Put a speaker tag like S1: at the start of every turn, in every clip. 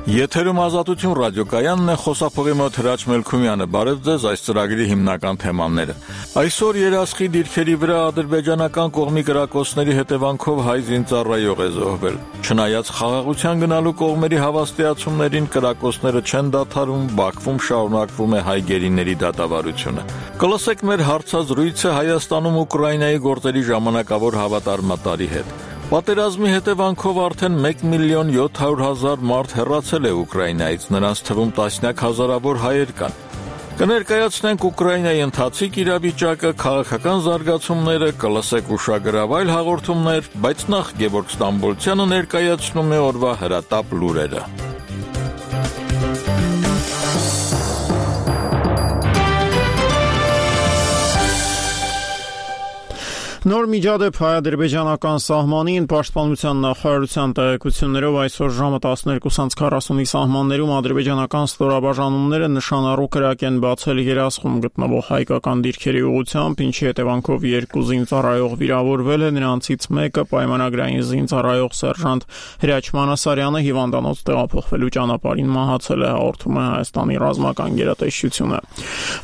S1: Եթերում Ազատություն ռադիոկայանն է, խոսափողի մոտ Հրաչ Մելքումյանը։ Բարև ձեզ, այս ծրագրի հիմնական թեմաները։ Այսօր երասխի դիրքերի վրա ադրբեջանական կողմի կրակոցների հետևանքով հայ զինծառայող է զոհվել։ Չնայած խաղաղության գնալու կողմերի հավաստիացումներին, կրակոցները չեն դադարում, Բաքվում շարունակվում է հայ գերիների դատավարությունը։ Կլսեք մեր հարցազրույցը Հայաստանում Ուկրաինայի գործերի ժամանակավոր հավատարմատարի հետ։ Պատերազմի հետևանքով արդեն 1,700,000 մարդ հեռացել է Ուկրաինայից, նրանց թվում տասնյակ հազարավոր հայեր կան։ Կներկայացնենք Ուկրաինայի ընթացիկ իրավիճակը, քաղաքական զարգացումները, կլսեք ուշագրավ այլ հաղորդումներ, բայց նախ Գևորգ Ստամբոլցյանը ներկայացնում է օրվա հրատապ լուրերը։
S2: Նոր միջադեպ հայ-ադրբեջանական սահմանին պաշտպանության նախարարության տեղեկություններով այսօր ժամը 12:40-ի սահմաններում ադրբեջանական ստորաբաժանումները նշանառու կրակ են բացել երասխում գտնվող հայկական դիրքերի ուղղությամբ, ինչի հետևանքով 2 զինծառայող վիրավորվել է, նրանցից մեկը պայմանագրային զինծառայող սերժանտ Հրաչ Մանասարյանը հիվանդանոց տեղափոխվելու ճանապարհին մահացել է, հաղորդում է Հայաստանի ռազմական գերատեսչությունը։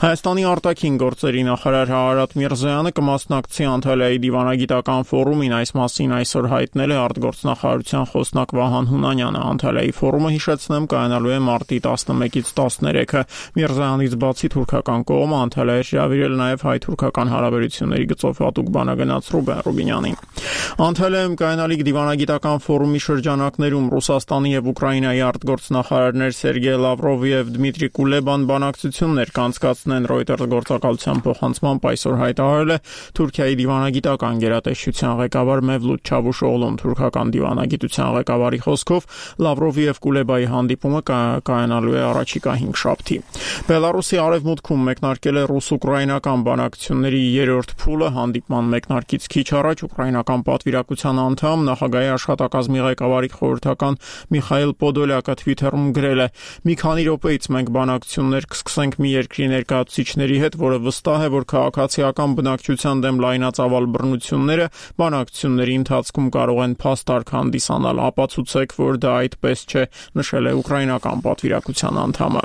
S2: Հայաստանի արտաքին գործերի նախարար Արարատ Միրզոյանը կմասնակցի Անտալիայի դիվանագիտական ֆորումին, այս մասին այսօր հայտնել է արտգործնախարարության խոսնակ Վահան Հունանյանը։ Անտալիայի ֆորումը, հիշեցնեմ, կայանալու է մարտի 11-ից 13-ը։ Միրզոյանից բացի թուրքական կողմը Անտալիա է հրավիրել նաև հայ-թուրքական հարաբերությունների գծով հատուկ բանագնաց Ռուբեն Ռուբինյանին։ Անտալիայում կայանալիք դիվանագիտական ֆորումի շրջանակներում Ռուսաստանի եւ Ուկրաինայի արտգործնախարարներ Սերգեյ Լավրովը եւ Դմիտրի Կուլեբան բանակցություններ կանցկացնեն, Reuters գործակալության փոխանցմամբ այսօր հայտարարել է Թուրքիայի դիվանագիտական գերատեսչության ղեկավար Մևլութ Չավուշօղլուն։ Թուրքական դիվանագիտության ղեկավարի խոսքով Լավրովի եւ Կուլեբայի հանդիպումը կայանալու է առաջիկա 5 շաբթի։ Բելարուսի արևմուտքում մեկնարկել է ռուս-ուկրաինական բանակցությունների 3-րդ փուլը։ Հանդիպման մեկնարկից քիչ առաջ ուկրաինական պատվիրակության անդամ, նախագահի աշխատակազմի ղեկավարի խորհրդական Միխայել Պոդոլյակը Twitter-ում գրել է. «Մի քանի րոպեից մենք բանակցություններ կսկսենք մի երկրի ներկայացուցիչների հետ, որը վստահ է, որ քաղաքացիական բնակչության դեմ լայնածավալ բռնությունները բանակցությունների ընթացքում կարող են փաստարկ հանդիսանալ։ Ապացուցեք, որ դա այդպես չէ», նշել է ուկրաինական պատվիրակության անդամը։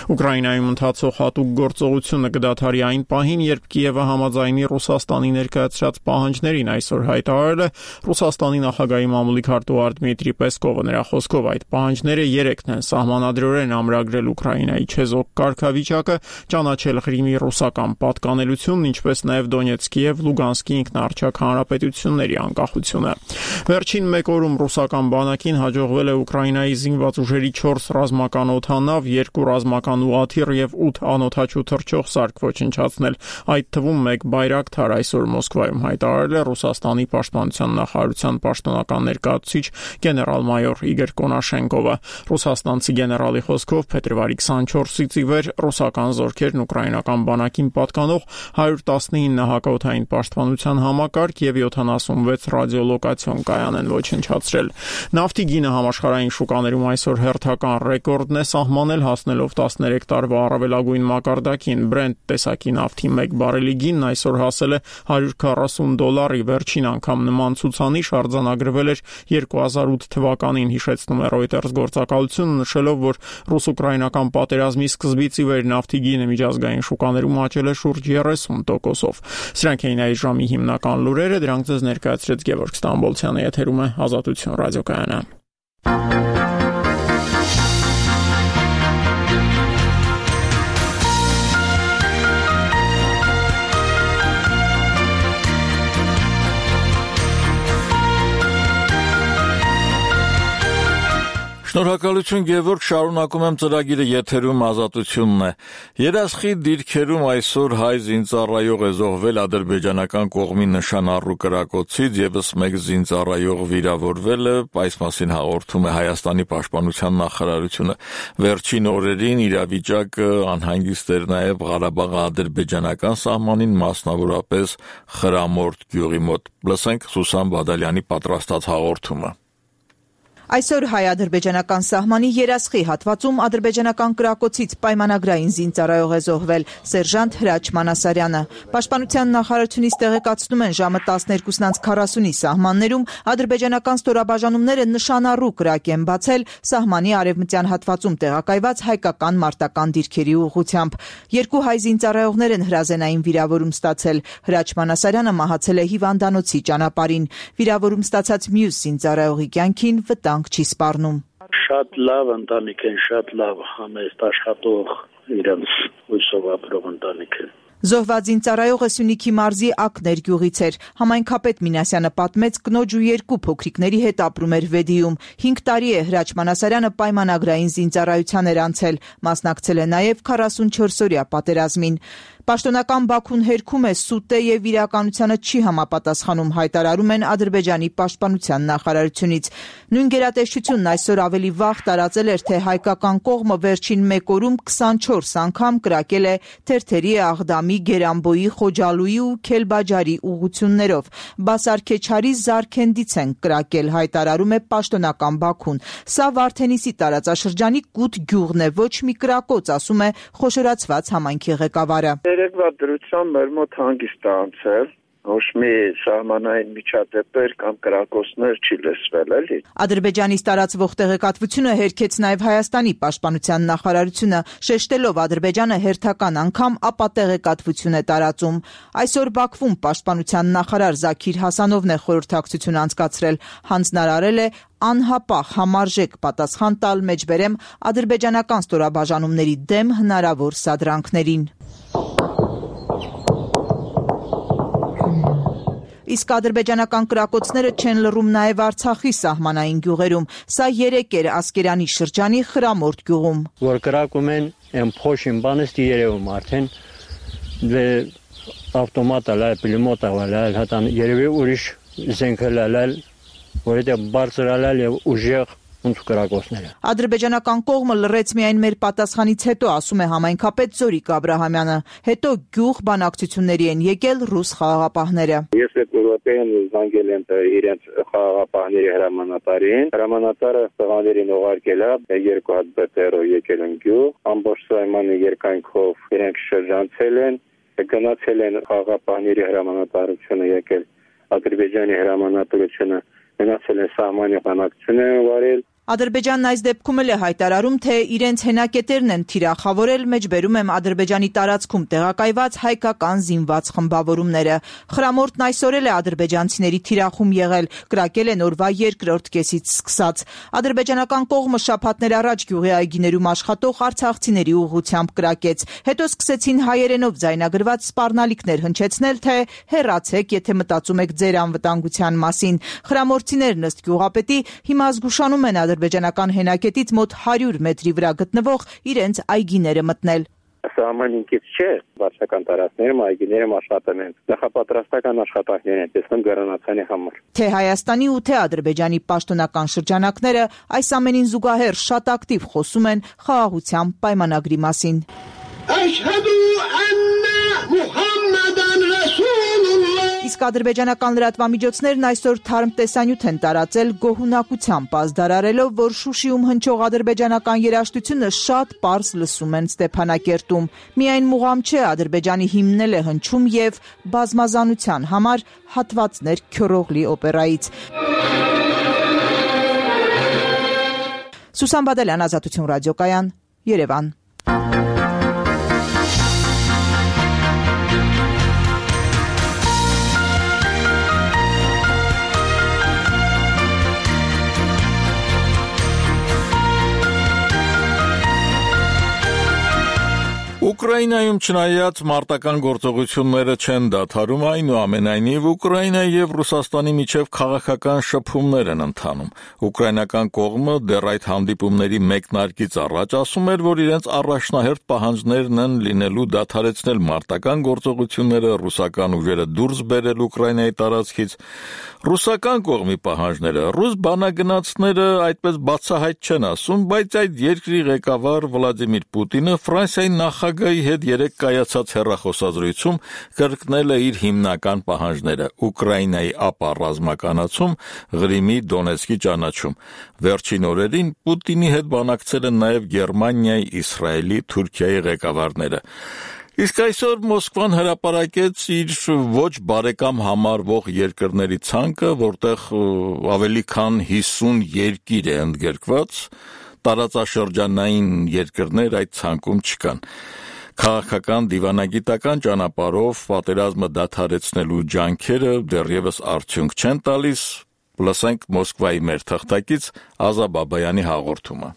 S2: Ուկրաինայում ընթացող հատուկ գործողությունը կդադարի այն պահին, երբ Կիևը համաձայնի Ռուսաստանի ներկայացրած պահանջներին, այսօր հայտարարել է Ռուսաստանի նախագահի մամուլի քարտուղար Դմիտրի Պեսկովը։ Նրա խոսքով այդ պահանջները 3-ն են՝ սահմանադրորեն ամրագրել Ուկրաինայի չեզոք կարգավիճակը, ճանաչել Ղրիմի ռուսական պատկանելությունն, ինչպես նաև Դոնեցկի եւ Լուգանսկի ինքնաառչյակ հանրապետությունների անկախությունը։ Վերջին 1 օրում ռուսական բանակին հաջողվել է Ուկրաինայի զինված ուժերի 4 ռազմական օդանավ, 2 ռազմական ուղաթիռ եւ 8 անօդաչու թռչող սարք ոչնչացնել, այդ թվում 1 բայրակթար, այսօր Մոսկվայում հայտարարել է Ռուսաստանի պաշտպանության նախարարության պաշտոնական ներկայացուցիչ գեներալ-մայոր Իգոր Կոնաշենկովը։ Ռուսաստանցի գեներալի խոսքով փետրվարի 24-ից ի վեր ռուսական զորքերն ուկրաինական բանակին պատկանող 119 հակաօդային պաշտպանության համակարգ եւ 76 ռադիոլոկացիոն կայան են ոչնչացրել։ Նավթի գինը համաշխարհային շուկաներում այսօր հերթական ռեկորդն է սահմանել, հասնելով 13 տարվա առավելագույն մակարդակին։ Brent տեսակի նավթի 1 բարելի գինն այսօր հասել է $140, վերջին անգամ նման ցուցանիշ արձանագրվել էր 2008 թվականին, հիշեցնում է Reuters գործակալությունը, նշելով, որ ռուս-ուկրաինական պատերազմի սկզբից ի վեր նավթի գինը միջազգային շուկաներում աճել է շուրջ 30%-ով։ Սրանք էին այս ժամի հիմնական լուրերը, դրանք ձեզ ներկայացրեց Գևորգ Ստամբոլցյանը, եթերում է Ազատություն ռադիոկայանը։
S1: Շնորհակալություն Գևորգ, շարունակում եմ ծրագիրը, եթերում Ազատությունն է։ Երասխի դիրքերում այսօր հայ զինծառայող է զոհվել ադրբեջանական կողմի նշանառու կրակոցից, եւս 1 զինծառայող վիրավորվել է, այս մասին հաղորդում է Հայաստանի պաշտպանության նախարարությունը։ Վերջին օրերին իրավիճակը անհանգիստ էր նաեւ Ղարաբաղ-ադրբեջանական սահմանին, մասնավորապես Խրամորդ գյուղի մոտ։ Լսենք Սուսան Բադալյանի պատրաստած հաղորդումը։
S3: Այսօր հայ-ադրբեջանական սահմանի երասխի հատվածում ադրբեջանական կրակոցից պայմանագրային զինծառայող է զոհվել սերժանտ Հրաչ Մանասարյանը։ Պաշտպանության նախարարությունից տեղեկացնում են ժամը 12:40-ի սահմաններում ադրբեջանական ստորաբաժանումները նշանառու կրակ են բացել սահմանի արևմտյան հատվածում տեղակայված հայկական մարտական դիրքերի ուղղությամբ։ Երկու հայ զինծառայողներ են հրազենային վիրավորում ստացել։ Հրաչ Մանասարյանը մահացել է հիվանդանոցի ճանապարհին։ Վիրավորում ստացած մյուս զինծառայողի կյանքին վտանգ չի սպառնում։
S4: Շատ լավ ընտանիք են, շատ լավ համեստ աշխատող իրենց հույսով ապրող ընտանիք են։
S3: Զոհված զինծառայողը Սյունիքի մարզի Ակներ գյուղից էր։ Համայնքապետ Մինասյանը պատմեց, կնոջ ու երկու փոքրիկների հետ ապրում էր Վեդիում։ 5 տարի է Հրաչ Մանասարյանը պայմանագրային զինծառայության էր անցել, մասնակցել է նաև 44-օրյա պատերազմին։ Պաշտոնական Բաքուն հերքում է սուտ է եւ իրականությանը չի համապատասխանում, հայտարարում են Ադրբեջանի պաշտպանության նախարարությունից։ Նույն գերատեսչությունն այսօր ավելի վաղ տարածել էր, թե հայկական կողմը վերջին 1 օրում 24 անգամ կրակել է Թերթերի, Աղդամի, Գերանբոյի, Խոջալույի ու Քելբաջարի ուղղություններով։ Բասարքեչարի Զարքենդից են կրակել, հայտարարում է պաշտոնական Բաքուն։ Սա Վարդենիսի տարածաշրջանի Կուտ գյուղն է, ոչ մի կրակոց, ասում է խոշորացված համայնքի ղեկավարը։
S5: Երեկվա դրությամբ մեր մոտ հանգիստ է անցել, ոչ մի սահմանային միջադեպեր կամ կրակոցներ չի լսվել, էլի։
S3: Ադրբեջանից տարածվող տեղեկատվությունը հերքեց նաև Հայաստանի պաշտպանության նախարարությունը, շեշտելով Ադրբեջանը հերթական անգամ ապատեղեկատվություն է տարածում։ Այսօր Բաքվում պաշտպանության նախարար Զաքիր Հասանովն է խորհրդակցություն անցկացրել, հանձնարարել է անհապաղ համարժեք պատասխան տալ, մեջբերեմ ադրբեջանական ստորաբաժանումների դեմ հնարավոր սադրանքներին։ Իսկ ադրբեջանական կրակոցները չեն լռում նաև Արցախի սահմանային գյուղերում։ Սա 3 էր Ասկերանի շրջանի Խրամորդ գյուղում։
S6: Որ կրակում են, այն փոշին բանից երևում արդեն ավտոմատը լայ, պիլոմոտը լայ, հատան երևի ուրիշ զենք լայ, որովհետև բարձր լայ եւ ուժեղ կրակոցները։
S3: Ադրբեջանական կողմը լռեց միայն մեր պատասխանից հետո, ասում է համայնքապետ Զորիկ Աբրահամյանը։ Հետո գյուղ բանակցությունների են եկել ռուս խաղաղապահները։
S5: Ես այդ ուղղակիորեն զանգել եմ իրենց խաղաղապահների հրամանատարին։ Հրամանատարը տղաներին ուղարկել է, 2 հատ բետերով եկել են գյուղ, ամբողջ սահմանի երկայնքով իրենք շրջանցել են, գնացել են խաղաղապահների հրամանատարությունը եկել Ադրբեջանի հրամանատարությունը գնացել են սահմանի բանակցություն են վարել։
S3: Ադրբեջանն այս դեպքում էլ է հայտարարում, թե իրենց հենակետերն են թիրախավորել, մեջբերում եմ Ադրբեջանի տարածքում տեղակայված հայկական զինված խմբավորումները։ Խրամորդն այսօր էլ է ադրբեջանցիների թիրախում եղել, կրակել են օրվա 2-րդ կեսից սկսած։ Ադրբեջանական կողմը շաբաթներ առաջ գյուղի այգիներում աշխատող արցախցիների ուղղությամբ կրակեց։ Հետո սկսեցին հայերենով ձայնագրված սպառնալիքներ հնչեցնել, թե հեռացեք, եթե մտածում եք ձեր անվտանգության մասին։ Խրամորդցիներն ըստ գյուղապետի հիմա զգուշանում են ադրբեջանական հենակետից մոտ 100 մետրի վրա գտնվող իրենց այգիները մտնել։
S5: Սահմանինքից չէ, վարչական տարածքներում այգիներում աշխատում են։ Նախապատրաստական աշխատանքներ են տեսնում գրանացանի համար։ Թե
S3: Հայաստանի ու թե Ադրբեջանի պաշտոնական շրջանակները այս ամենին զուգահեռ շատ ակտիվ խոսում են խաղաղության պայմանագրի մասին։ Իսկ ադրբեջանական լրատվամիջոցներն այսօր թարմ տեսանյութ են տարածել գոհունակությամբ ազդարարելով, որ Շուշիում հնչող ադրբեջանական երաժշտությունը շատ պարզ լսում են Ստեփանակերտում։ Միայն մուղամ չէ, Ադրբեջանի հիմնել է հնչում եւ բազմազանության համար հատվածներ Քյորոգլի օպերայից։ Սուսան Բադալյան, Ազատություն ռադիոկայան, Երևան։
S1: Ուկրաինայում չնայած մարտական գործողությունները չեն դադարում, այնուամենայնիվ Ուկրաինայի եւ Ռուսաստանի միջև քաղաքական շփումներ են ընթանում։ Ուկրաինական կողմը դեռ այդ հանդիպումների մեկնարկից առաջ ասում էր, որ իրենց առաջնահերթ պահանջներն են լինելու դադարեցնել մարտական գործողությունները, ռուսական ուժերը դուրս բերել Ուկրաինայի տարածքից։ Ռուսական կողմի պահանջները ռուս բանագնացները այդպես բացահայտ չեն ասում, բայց այդ երկրի ղեկավար Վլադիմիր Պուտինը Ֆրանսիայի նախագահի Մոսկվայի հետ երեք կայացած հեռախոսազրույցում կրկնել է իր հիմնական պահանջները՝ Ուկրաինայի ապառազմականացում, Ղրիմի, Դոնեցկի ճանաչում։ Վերջին օրերին Պուտինի հետ բանակցել են նաև Գերմանիայի, Իսրայելի, Թուրքիայի ղեկավարները։ Իսկ այսօր Մոսկվան հրապարակեց իր ոչ բարեկամ համարվող երկրների ցանկը, որտեղ ավելի քան 50 երկիր է ընդգրկված, տարածաշրջանային երկրներ այդ ցանկում չկան։ Քաղաքական դիվանագիտական ճանապարհով պատերազմը դադարեցնելու ջանքերը դեռևս արդյունք չեն տալիս։ Լսենք Մոսկվայի մեր թղթակից Ազա Բաբայանի հաղորդումը։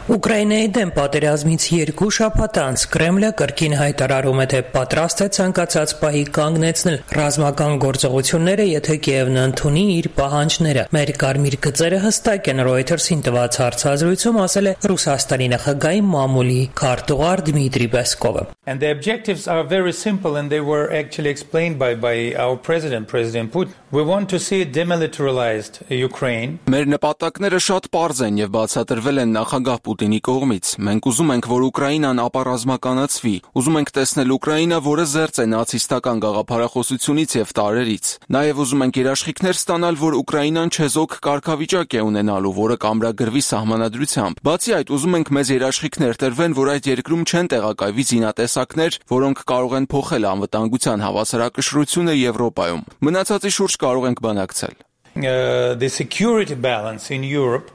S7: Ուկրաինայի դեմ պատերազմից 2 շաբաթ անց Կրեմլը կրկին հայտարարում է, թե պատրաստ է ցանկացած պահի կանգնեցնել ռազմական գործողությունները, եթե Կիևն ընդունի իր պահանջները։ Մեր կարմիր գծերը հստակ են, Reuters-ին տված հարցազրույցում ասել է Ռուսաստանի նախագահի մամուլի քարտուղար Դմիտրի Պեսկովը։
S8: And the objectives are very simple and they were actually explained by our President Putin. We want to see a demilitarized Ukraine.
S9: Մեր նպատակները շատ պարզ են եւ բացատրվել են նախագահ Պուտինի կողմից։ Մենք ուզում ենք, որ Ուկրաինան ապառազմականացվի։ Ուզում ենք տեսնել Ուկրաինա, որը զերծ է նացիստական գաղափարախոսությունից եւ տարերից։ Նաեւ ուզում ենք երաշխիքներ ստանալ, որ Ուկրաինան չեզոք կարգավիճակ է ունենալու, որը կամրագրվի սահմանադրությամբ։ Բացի այդ, ուզում ենք մեզ երաշխիքներ տրվեն, որ այդ երկրում չեն տեղակայվի զինատեսակներ, որոնք կարող են փոխել անվտանգության հավասարակշռությունը Եվրոպայում։ Մնացածի շուրջ կարող ենք բանակցել։
S8: The security balance in Europe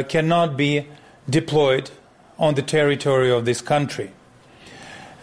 S8: cannot be deployed on the territory of this country.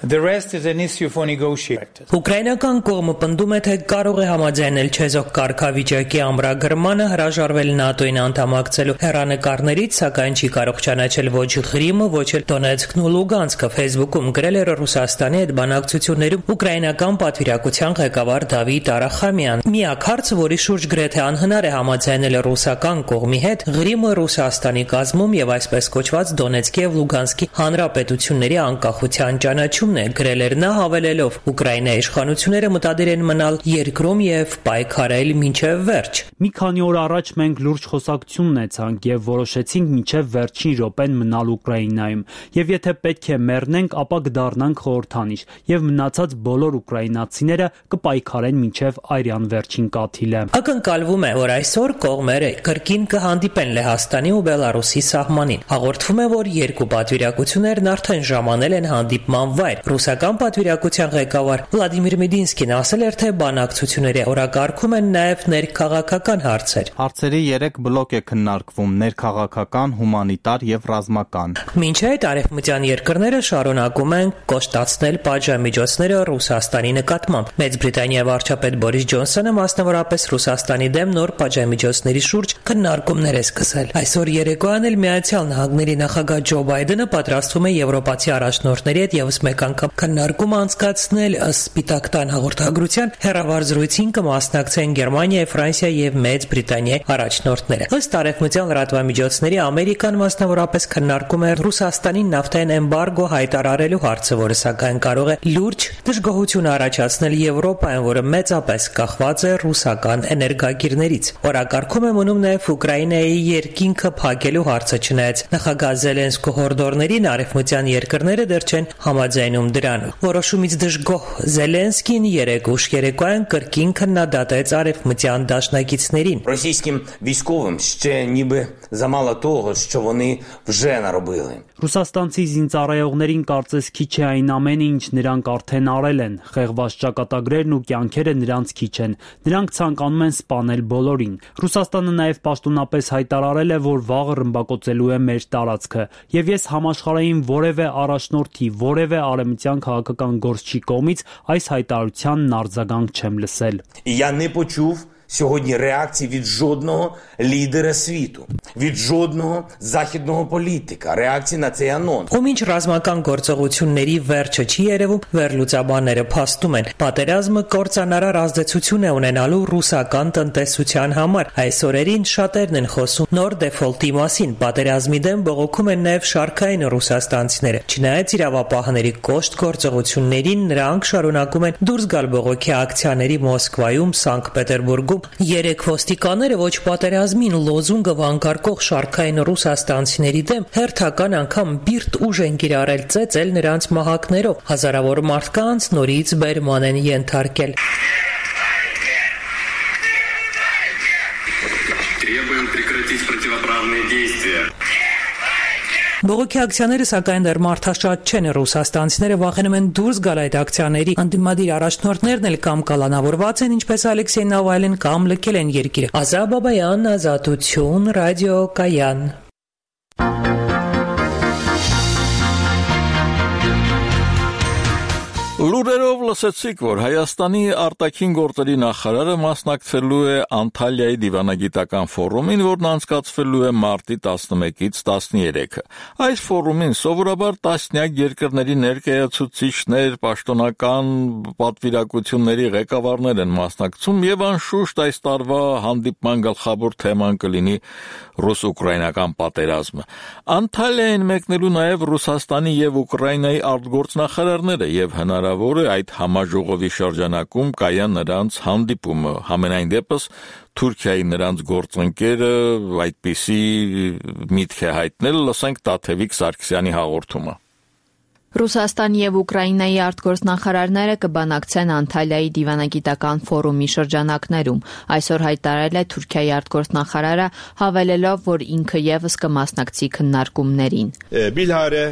S8: The rest is an issue for negotiators.
S7: Ուկրաինական կողմը պնդում է, թե կարող է համաձայնել չեզոք կարգավիճակի ամրագրմանը, հրաժարվել ՆԱՏՕ-ին անդամակցելու հեռանկարներից, սակայն չի կարող ճանաչել ոչ Ղրիմը, ոչ էլ Դոնեցկն ու Լուգանսկը։ Facebook-ում գրել էր Ռուսաստանի հետ բանակցություններում ուկրաինական պատվիրակության ղեկավար Դավիթ Արախամյան։ Միակ հարցը, որի շուրջ գրեթե անհնար է համաձայնել ռուսական կողմի հետ, Ղրիմը Ռուսաստանի կազմում եւ այսպես կոչված Դոնեցկի եւ Լուգանսկի հանրապետությունների անկախության ճանաչում գրել էր նա, հավելելով Ուկրաինայի իշխանությունները մտադիր են մնալ երկրում եւ պայքարել մինչեւ վերջ։
S10: Մի քանի օր առաջ մենք լուրջ խոսակցություն ունեցանք եւ որոշեցինք մինչեւ վերջին րոպեն մնալ Ուկրաինայում եւ եթե պետք է մեռնենք, ապա կդառնանք խորհրդանիշ եւ մնացած բոլոր ուկրաինացիները կպայքարեն մինչեւ արյան վերջին կաթիլը։
S7: Ակնկալվում է, որ այսօր կողմերը կրկին կհանդիպեն Լեհաստանի ու Բելարուսի սահմանին։ Հաղորդվում է, որ երկու պատվիրակություններն արդեն ժամանել են հանդիպման վայր։ Ռուսական պատվիրակության ղեկավար Վլադիմիր Մեդինսկին ասել էր, թե բանակցությունների օրակարգում են նաև ներքաղաքական հարցեր։
S11: Հարցերի 3 բլոկ է քննարկվում՝ ներքաղաքական, հումանիտար եւ ռազմական։
S7: Մինչ այդ արևմտյան երկրները շարունակում են կոշտացնել պատժամիջոցները Ռուսաստանի նկատմամբ։ Մեծ Բրիտանիայի վարչապետ Բորիս Ջոնսոնը մասնավորապես Ռուսաստանի դեմ նոր պատժամիջոցների շուրջ քննարկումներ է սկսել։ Այսօր երեկոյան էլ Միացյալ Նահանգների նախագահ Ջո Բայդենը պատրաստվում է եվրոպացի առաջնորդների հետ եւս մեկ անգամ քննարկում անցկացնել Սպիտակ տան հաղորդագրության հեռավար զրույցին կմասնակցեն Գերմանիայի, Ֆրանսիայի եւ Մեծ Բրիտանիայի առաջնորդները։ Ըստ արևմտյան լրատվամիջոցների Ամերիկան մասնավորապես քննարկում է Ռուսաստանին նավթային էմբարգո հայտարարելու հարցը, որը սակայն կարող է լուրջ դժգոհություն առաջացնել Եվրոպայում, որը մեծապես կախված է ռուսական էներգակիրներից։ Օրակարգում է մնում նաեւ Ուկրաինայի երկինքը փակելու հարցը, չնայած նախագահ Զելենսկու հորդորներին արևմտյան երկրները դեռ չեն համաձայնում դրան։ Որոշումից դժգոհ Զելենսկին երեկ ուշ երեկոյան կրկին քննադատեց արևմտյան դաշնակիցներին։
S12: Російським військовим ще ніби замало того, що вони вже наробили.
S10: Ռուսաստանցի զինծառայողներին կարծես քիչ է այն ամենը, ինչ նրանք արդեն արել են։ Խեղված ճակատագրերն ու կյանքերը նրանց քիչ են։ Նրանք ցանկանում են սպանել բոլորին։ Ռուսաստանը նաև պաշտոնապես հայտարարել է, որ վաղը ռմբակոծելու է մեր տարածքը, եւ ես համաշխարհային որևէ առաջնորդի, որևէ արևմտյան քաղաքական գործչի կողմից այս հայտարարությանն արձագանք չեմ լսել։
S12: Я не почув сьогодні реакції від жодного лідера світу, від жодного західного політика, реакції на цей анонс.
S7: Ու մինչ ռազմական գործողությունների վերջը չի երևում, վերլուծաբանները փաստում են, պատերազմը կործանարար ազդեցություն է ունենալու ռուսական տնտեսության համար։ Այս օրերին շատերն են խոսում նոր դեֆոլտի մասին, պատերազմի դեմ բողոքում են նաև շարքային ռուսաստանցիները։ Չնայած իրավապահների կոշտ գործողություններին, նրանք շարունակում են դուրս գալ բողոքի ակցիաների Մոսկվայում, Սանկտ Պետերբուրգում նահանգում։ 3 ոստիկանները ոչ պատերազմին լոզունգը վանկարկող շարքային ռուսաստանցիների դեմ հերթական անգամ բիրտ ուժ են կիրառել, ծեծել նրանց մահակներով, հազարավոր մարդկանց նորից բերման են ենթարկել։ Բողոքի ակցիաները սակայն դեռ մարդաշատ չեն, ռուսաստանցիները վախենում են դուրս գալ այդ ակցիաների, ընդդիմադիր առաջնորդներն էլ կամ կալանավորված են, ինչպես Ալեքսեյ Նավալին, կամ լքել են երկիրը։ Ազա Բաբայան, Ազատություն, Ռադիո Կայան։
S1: Լուրերով լսեցիք, որ Հայաստանի արտաքին գործերի նախարարը մասնակցելու է Անտալիայի դիվանագիտական ֆորումին, որն անցկացվելու է մարտի 11-ից 13-ը։ Այս ֆորումին սովորաբար տասնյակ երկրների ներկայացուցիչներ, պաշտոնական պատվիրակությունների ղեկավարներ են մասնակցում եւ անշուշտ այս տարվա հանդիպման գլխավոր թեման կլինի ռուս-ուկրաինական պատերազմը։ Անտալիային մեկնելու նաեւ Ռուսաստանի եւ Ուկրաինայի արտգործնախարարները եւ հնարավոր է այդ համաժողովի շրջանակում կայան նրանց հանդիպումը, համենայն դեպս Թուրքիայի նրանց գործընկերը այդպիսի միտք է հայտնել, լսենք Տաթևիկ Սարգսյանի հաղորդումը։
S13: Ռուսաստանի եւ Ուկրաինայի արտգործնախարարները կբանակցեն Անտալիայի դիվանագիտական ֆորումի շրջանակներում։ Այսօր հայտարարել է Թուրքիայի արտգործնախարարը, հավելելով, որ ինքը եւս կմասնակցի քննարկումներին։
S14: Բիլհարե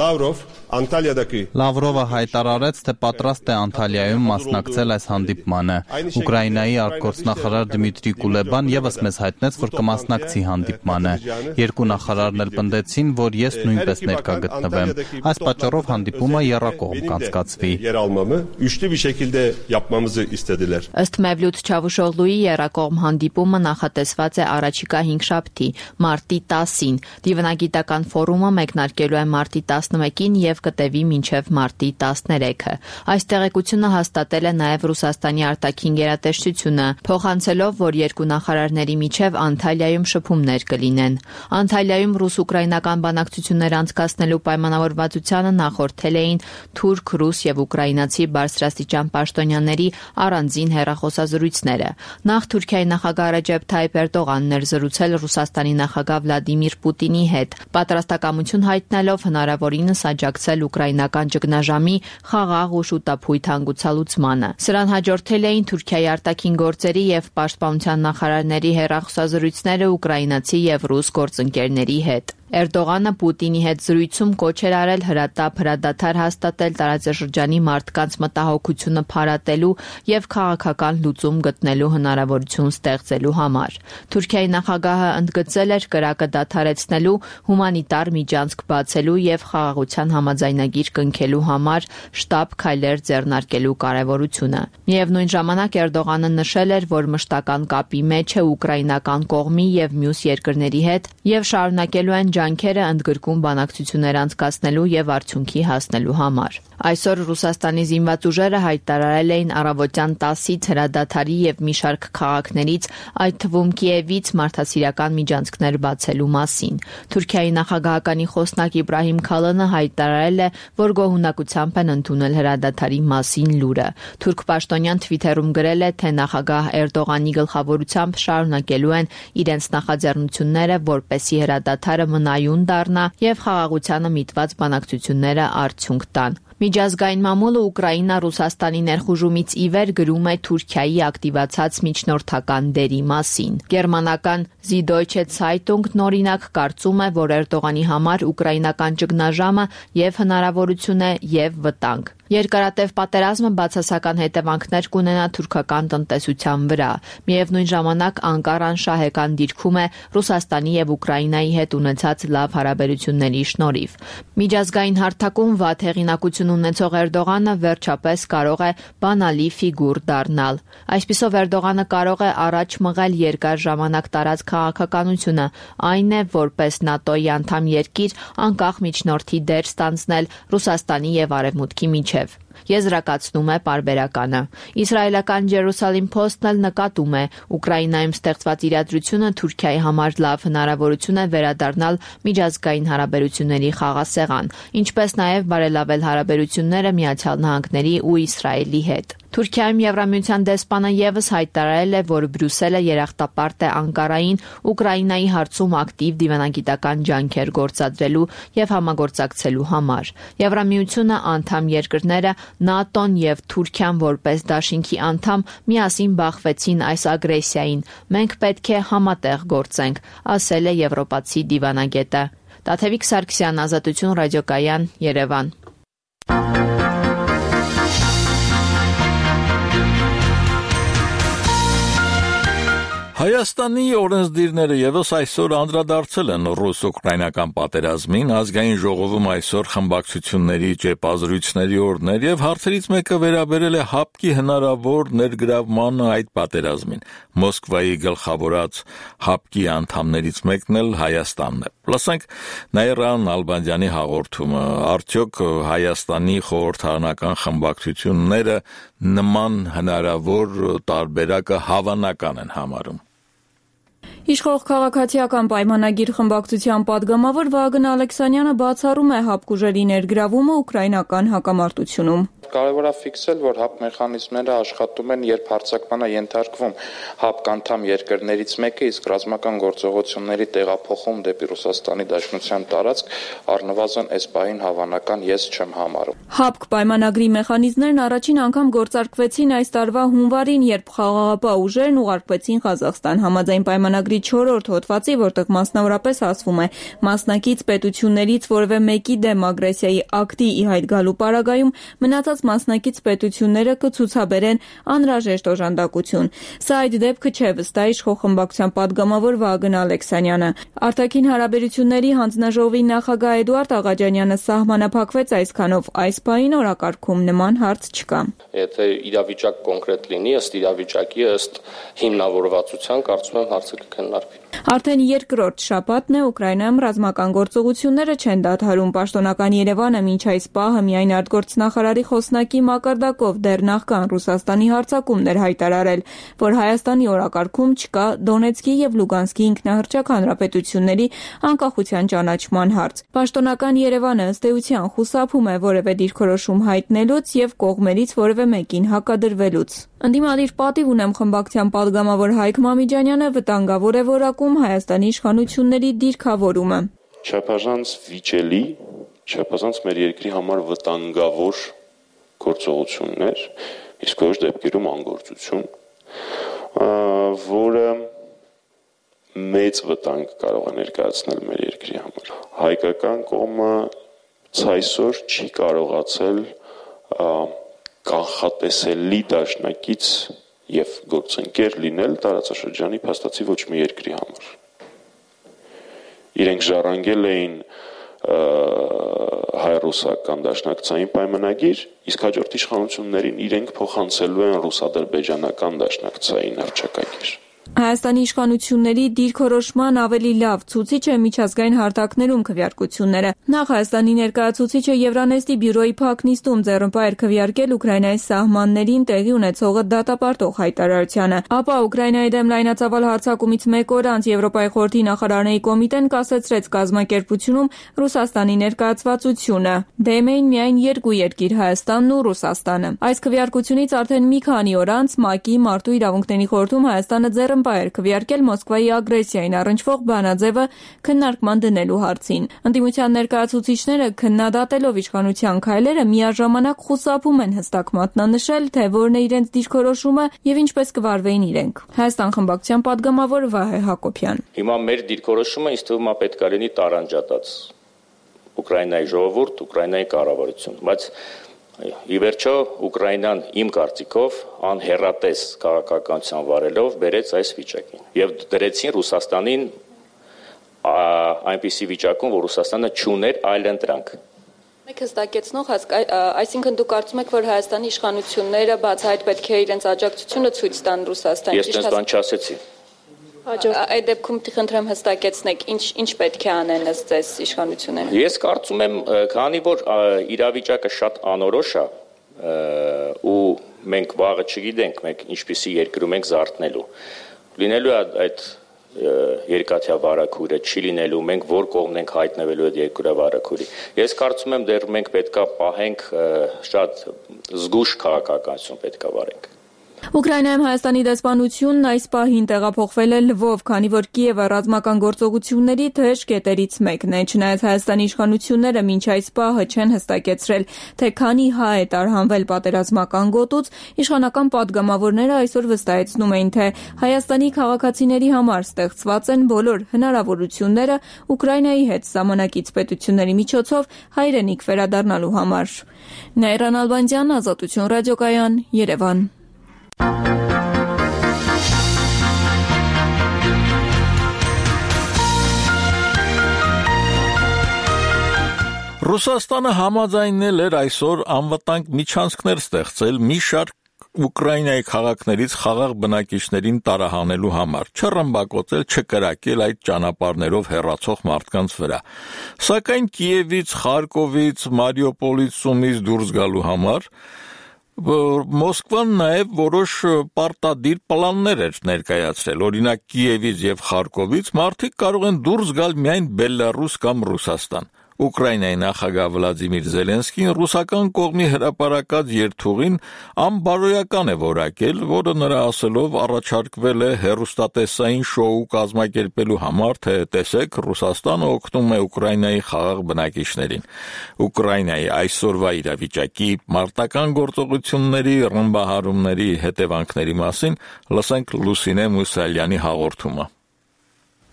S14: Լավրով
S11: Լավրովը հայտարարեց, թե պատրաստ է Անտալիայում մասնակցել այս հանդիպմանը։ Ուկրաինայի արտգործնախարար Դմիտրի Կուլեբան եւս մեզ հայտնեց, որ կմասնակցի հանդիպմանը։ Երկու նախարարն էլ պնդեցին, որ ես նույնպես ներկա գտնվեմ։ Այս պատճառով հանդիպումը եռակողմ կանցկացվի։
S13: Ըստ Մևլութ Չավուշօղլուի եռակողմ հանդիպումը նախատեսված է առաջիկա 5 շաբթի, մարտի 10-ին։ Դիվանագիտական ֆորումը մեկնարկելու է մարտի 11-ին եւ կտևի մինչև մարտի 13-ը։ Այս տեղեկությունը հաստատել է նաև Ռուսաստանի արտաքին գերատեսչությունը, փոխանցելով, որ երկու նախարարների միջև Անտալիայում շփումներ կլինեն։ Անտալիայում ռուս-ուկրաինական բանակցություններ անցկացնելու պայմանավորվածությանը նախորդել էին թուրք, ռուս եւ ուկրաինացի բարձրաստիճան պաշտոնյաների առանձին հեռախոսազրույցները։ Նախ Թուրքիայի նախագահ Ռեջեփ Թայիփ Էրդողանն էր զրուցել Ռուսաստանի նախագահ Վլադիմիր Պուտինի հետ, պատրաստակամություն հայտնելով հնարավորինս աջակցել ուկրաինական ճգնաժամի խաղաղ ու շուտափույթ հանգուցալուծմանը։ Սրան հաջորդել էին Թուրքիայի արտաքին գործերի եւ պաշտպանության նախարարների հեռախոսազրույցները ուկրաինացի եւ ռուս գործընկերների հետ։ Էրդողանը Պուտինի հետ զրույցում կոչ էր արել հրադադար հաստատել տարածաշրջանի մարդկանց մտահոգությունը փարատելու եւ քաղաքական լուծում գտնելու հնարավորություն ստեղծելու համար։ Թուրքիայի նախագահը ընդգծել էր կրակը դադարեցնելու, հումանիտար միջանցք բացելու եւ խաղաղության համաձայնագիր կնքելու համար շտապ քայլեր ձեռնարկելու կարեւորությունը։ Միևնույն ժամանակ Էրդողանը նշել էր, որ մշտական կապի մեջ է ուկրաինական կողմի եւ մյուս երկրների հետ եւ շարունակելու են ջանքերը ընդգրկում բանակցություններ անցկացնելու եւ արդյունքի հասնելու համար։ Այսօր Ռուսաստանի զինված ուժերը հայտարարել էին առավոտյան 10-ից հրադադարի եւ մի շարք քաղաքներից, այդ թվում Կիևից մարդասիրական միջանցքներ բացելու մասին։ Թուրքիայի նախագահականի խոսնակ Իբրահիմ Քալանը հայտարարել է, որ գոհունակությամբ են ընդունել հրադադարի մասին լուրը։ Թուրք պաշտոնյան Թվիթերում գրել է, թե նախագահ Էրդողանի գլխավորությամբ շարունակելու են իրենց նախաձեռնությունները, որպեսզի հրադադարը մնայուն դառնա եւ խաղաղությանը միտված բանակցությունները արդյունք տան։ Միջազգային մամուլը Ուկրաինա Ռուսաստանի ներխուժումից ի վեր գրում է Թուրքիայի ակտիվացած միջնորդական դերի մասին։ Գերմանական Süddeutsche Zeitung-ն օրինակ կարծում է, որ Էրդողանի համար ուկրաինական ճգնաժամը եւ հնարավորություն է եւ վտանգ։ Երկարատև պատերազմը բացասական հետևանքներ կունենա թուրքական տնտեսության վրա։ Միևնույն ժամանակ Անկարան շահեկան դիրքում է Ռուսաստանի եւ Ուկրաինայի հետ ունեցած լավ հարաբերությունների շնորհիվ։ Միջազգային հարթակում վատ հեղինակություն ունեցող Էրդողանը վերջապես կարող է բանալի ֆիգուր դառնալ։ Այսպիսով Էրդողանը կարող է առաջ մղել երկար ժամանակ տարած քաղաքականությունը, այն է, որպես ՆԱՏՕ-ի անդամ երկիր անկախ միջնորդի դեր ստանձնել Ռուսաստանի եւ Արևմուտքի միջև։ Եզրակացնում է պարբերականը։ Իսրայելական Jerusalem Post-ն էլ նկատում է, Ուկրաինայում ստեղծված իրադրությունը Թուրքիայի համար լավ հնարավորություն է վերադառնալ միջազգային հարաբերությունների խաղաղասեղան, ինչպես նաև բարելավել հարաբերությունները Միացյալ Նահանգների ու Իսրայելի հետ։ Թուրքիայում Եվրամիության դեսպանը եւս հայտարարել է, որ Բրյուսելը երախտապարտ է Անկարային Ուկրաինայի հարցում ակտիվ դիվանագիտական ջանքեր գործադրելու եւ համագործակցելու համար։ Եվրամիությունը անդամ երկրները ՆԱՏՕ-ն եւ Թուրքիան որպես դաշինքի անդամ միասին բախվեցին այս ագրեսիային։ Մենք պետք է համատեղ գործենք, ասել է եվրոպացի դիվանագետը։ Տաթևիկ Սարգսյան, Ազատություն ռադիոկայան, Երևան։
S1: Հայաստանի օրենսդիրները եւս այսօր անդրադարձել են ռուս-ուկրաինական պատերազմին, ազգային ժողովում այսօր խմբակցությունների ճեպազրույցների օրներ եւ հարցերից մեկը վերաբերել է ՀԱՊԿ-ի հնարավոր ներգրավմանը այդ պատերազմին։ Մոսկվայի գլխավորած ՀԱՊԿ-ի անդամներից մեկն էլ Հայաստանն է։ Լսենք Նաիրան Ալբանդյանի հաղորդումը, արդյոք Հայաստանի խորհրդարանական խմբակցությունները նման հնարավոր տարբերակը հավանական են համարում։
S15: Իշխող քաղաքացիական պայմանագիր խմբակցության падգամավոր Վահագն Ալեքսանյանը բացառում է ՀԱՊԿ ուժերի ներգրավումը ուկրաինական հակամարտությունում։
S16: Կարևոր է ֆիքսել, որ ՀԱՊԿ մեխանիզմները աշխատում են, երբ հարձակման է ենթարկվում ՀԱՊԿ անդամ երկրներից մեկը, իսկ ռազմական գործողությունների տեղափոխում դեպի Ռուսաստանի Դաշնության տարածք առնվազն այս պահին հավանական ես չեմ համարում։
S15: ՀԱՊԿ պայմանագրի մեխանիզմներն առաջին անգամ գործարկվեցին այս տարվա հունվարին, երբ խաղաղապահ ուժերն ուղարկվեցին Ղազախստան։ Համաձայն պայմանագրի 4-րդ հոդվածի, որտեղ մասնավորապես ասվում է, մասնակից պետություններից որևէ մեկի դեմ ագրեսիայի ակտի ի հայտ գալու պարագայում մնացած մասնակից պետությունները կցուցաբերեն անհրաժեշտ օժանդակություն։ Սա այդ դեպքը չէ, վստահ իշխող խմբակցության падգամավոր Վահագն Ալեքսանյանը։ Արտաքին հարաբերությունների հանձնաժողովի նախագահ Էդուարդ Աղաջանյանը սահմանափակվեց այսքանով, այս պահին օրակարգում նման հարց չկա։
S17: Եթե իրավիճակ կոնկրետ լինի, ըստ իրավիճակի, ըստ հիմնավորվածության, կարծում եմ հարցը կքննարկվի։
S15: Արդեն երկրորդ շաբաթն է Ուկրաինայում ռազմական գործողությունները չեն դադարում։ Պաշտոնական Երևանը մինչ այս պահը միայն արտգործնախարարի խոսնակի մակարդակով դեռ նախքան Ռուսաստանի հարձակումներ հայտարարել, որ Հայաստանի օրակարգում չկա Դոնեցկի եւ Լուգանսկի ինքնահռչակ հանրապետությունների անկախության ճանաչման հարց։ Պաշտոնական Երևանը ըստ էության խուսափում է որևէ դիրքորոշում հայտնելուց եւ կողմերից որևէ մեկին հակադրվելուց։ Ընդդիմադիր պատիվ ունեմ խմբակցության падգամավոր Հայկ Մամիջանյանը վտանգավոր է որակում Հայաստանի իշխանությունների դիրքավորումը։
S18: Չափազանց վիճելի, չափազանց մեր երկրի համար վտանգավոր գործողություններ, իսկ որոշ դեպքերում անգործություն, որը մեծ վտանգ կարող է ներկայացնել մեր երկրի համար։ Հայկական կողմը ցայսօր չի կարողացել կանխատեսելի դաշնակից եւ գործընկեր լինել տարածաշրջանի փաստացի ոչ մի երկրի համար։ Իրենք ժառանգել էին հայ-ռուսական դաշնակցային պայմանագիր, իսկ հաջորդ իշխանություններին իրենք փոխանցելու են ռուս-ադրբեջանական դաշնակցային հռչակագիր։
S15: Հայաստանի իշխանությունների դիրքորոշման ավելի լավ ցուցիչ է միջազգային հարթակներում քվեարկությունները։ Նախ Հայաստանի ներկայացուցիչը Եվրանեստի բյուրոյի փակ նիստում ձեռնպահ էր քվեարկել Ուկրաինայի սահմաններին տեղի ունեցողը դատապարտող հայտարարությանը։ Ապա Ուկրաինայի դեմ լայնածավալ հարձակումից մեկ օր անց Եվրոպայի խորհրդի նախարարների կոմիտեն կասեցրեց կազմակերպությունում Ռուսաստանի ներկայացվածությունը։ Դեմ էին միայն երկու երկիր՝ Հայաստանն ու Ռուսաստանը։ Այս քվեարկությունից արդեն մի քանի օր անց ՄԱԿ-ի Մարդու իրավունքների խորհրդում Հայաստանը ձեռնպահ էր քվեարկել Մոսկվայի ագրեսիային առնչվող բանաձևը քննարկման դնելու հարցին։ Ընդդիմության ներկայացուցիչները քննադատելով իշխանության քայլերը միաժամանակ խուսափում են հստակ մատնանշել, թե որն է իրենց դիրքորոշումը եւ ինչպես կվարվեին իրենք։ Հայաստան խմբակցության падգամավոր Վահե Հակոբյան։
S17: Հիմա մեր դիրքորոշումը ինձ թվում է պետք է լինի տարանջատած Ուկրաինայի ժողովուրդ, Ուկրաինայի կառավարություն, բայց ի վերջո Ուկրաինան իմ կարծիքով անհեռատես քաղաքականության վարելով բերեց այս վիճակին եւ դրեցին Ռուսաստանին այնպիսի վիճակում, որ Ռուսաստանը չուներ այլ ընտրանք։
S15: Մեկ հստակեցնող, այսինքն դուք կարծում եք, որ Հայաստանի իշխանությունները բացահայտ պետք է իրենց աջակցությունը ցույց տան Ռուսաստանին։
S17: Ես դες բան չասեցի։
S15: Այդ դեպքում խնդրեմ հստակեցնեք, ինչ պետք է անեն ըստ ձեզ իշխանությունները։
S17: Ես կարծում եմ, քանի որ իրավիճակը շատ անորոշ է ու մենք վաղը չգիտենք, մենք ինչպիսի երկրում ենք զարթնելու։ Լինելու է այդ երկաթյա վարակուրը չի լինելու, մենք որ կողմն ենք հայտնվելու այդ երկրի վարակուրի։ Ես կարծում եմ դեռ մենք պետքա պահենք շատ զգուշ քաղաքականություն պետքա վարենք։
S15: Ուկրաինայում Հայաստանի դեսպանությունն այս պահին տեղափոխվել է Լվով, քանի որ Կիևը ռազմական գործողությունների թեժ կետերից մեկն է, չնայած Հայաստանի իշխանությունները մինչ այս պահը չեն հստակեցրել, թե քանի հայ է տարհանվել պատերազմական գոտուց, իշխանական պատգամավորները այսօր վստահեցնում էին, թե Հայաստանի քաղաքացիների համար ստեղծված են բոլոր հնարավորությունները Ուկրաինայի հետ ժամանակից պետությունների միջոցով հայրենիք վերադառնալու համար։ Նայրան Ալբանդյան, Ազատություն ռադիոկայան, Երևան։
S1: Ռուսաստանը համաձայնել էր այսօր անվտանգ միջանցքներ ստեղծել մի շարք Ուկրաինայի քաղաքներից խաղաղ բնակիչներին տարահանելու համար, չռմբակոծել, չկրակել այդ ճանապարհներով հեռացող մարդկանց վրա։ Սակայն Կիևից, Խարկովից, Մարիուպոլից, Սումից դուրս գալու համար Մոսկվան նաև որոշ պարտադիր պլաններ էր ներկայացրել, օրինակ Կիևից եւ Խարկովից մարդիկ կարող են դուրս գալ միայն Բելարուս կամ Ռուսաստան։ Ուկրաինայի նախագահ Վլադիմիր Զելենսկին ռուսական կողմի հրապարակած երթուղին անբարոյական է որակել, որը նրա ասելով առաջարկվել է հեռուստատեսային շոու կազմակերպելու համար, թե տեսեք Ռուսաստանը օգնում է Ուկրաինայի խաղաղ բնակիչներին։ Ուկրաինայի այսօրվա իրավիճակի մարտական գործողությունների, ռմբահարումների հետևանքների մասին լսենք Լուսինե Մուսալյանի հաղորդումը։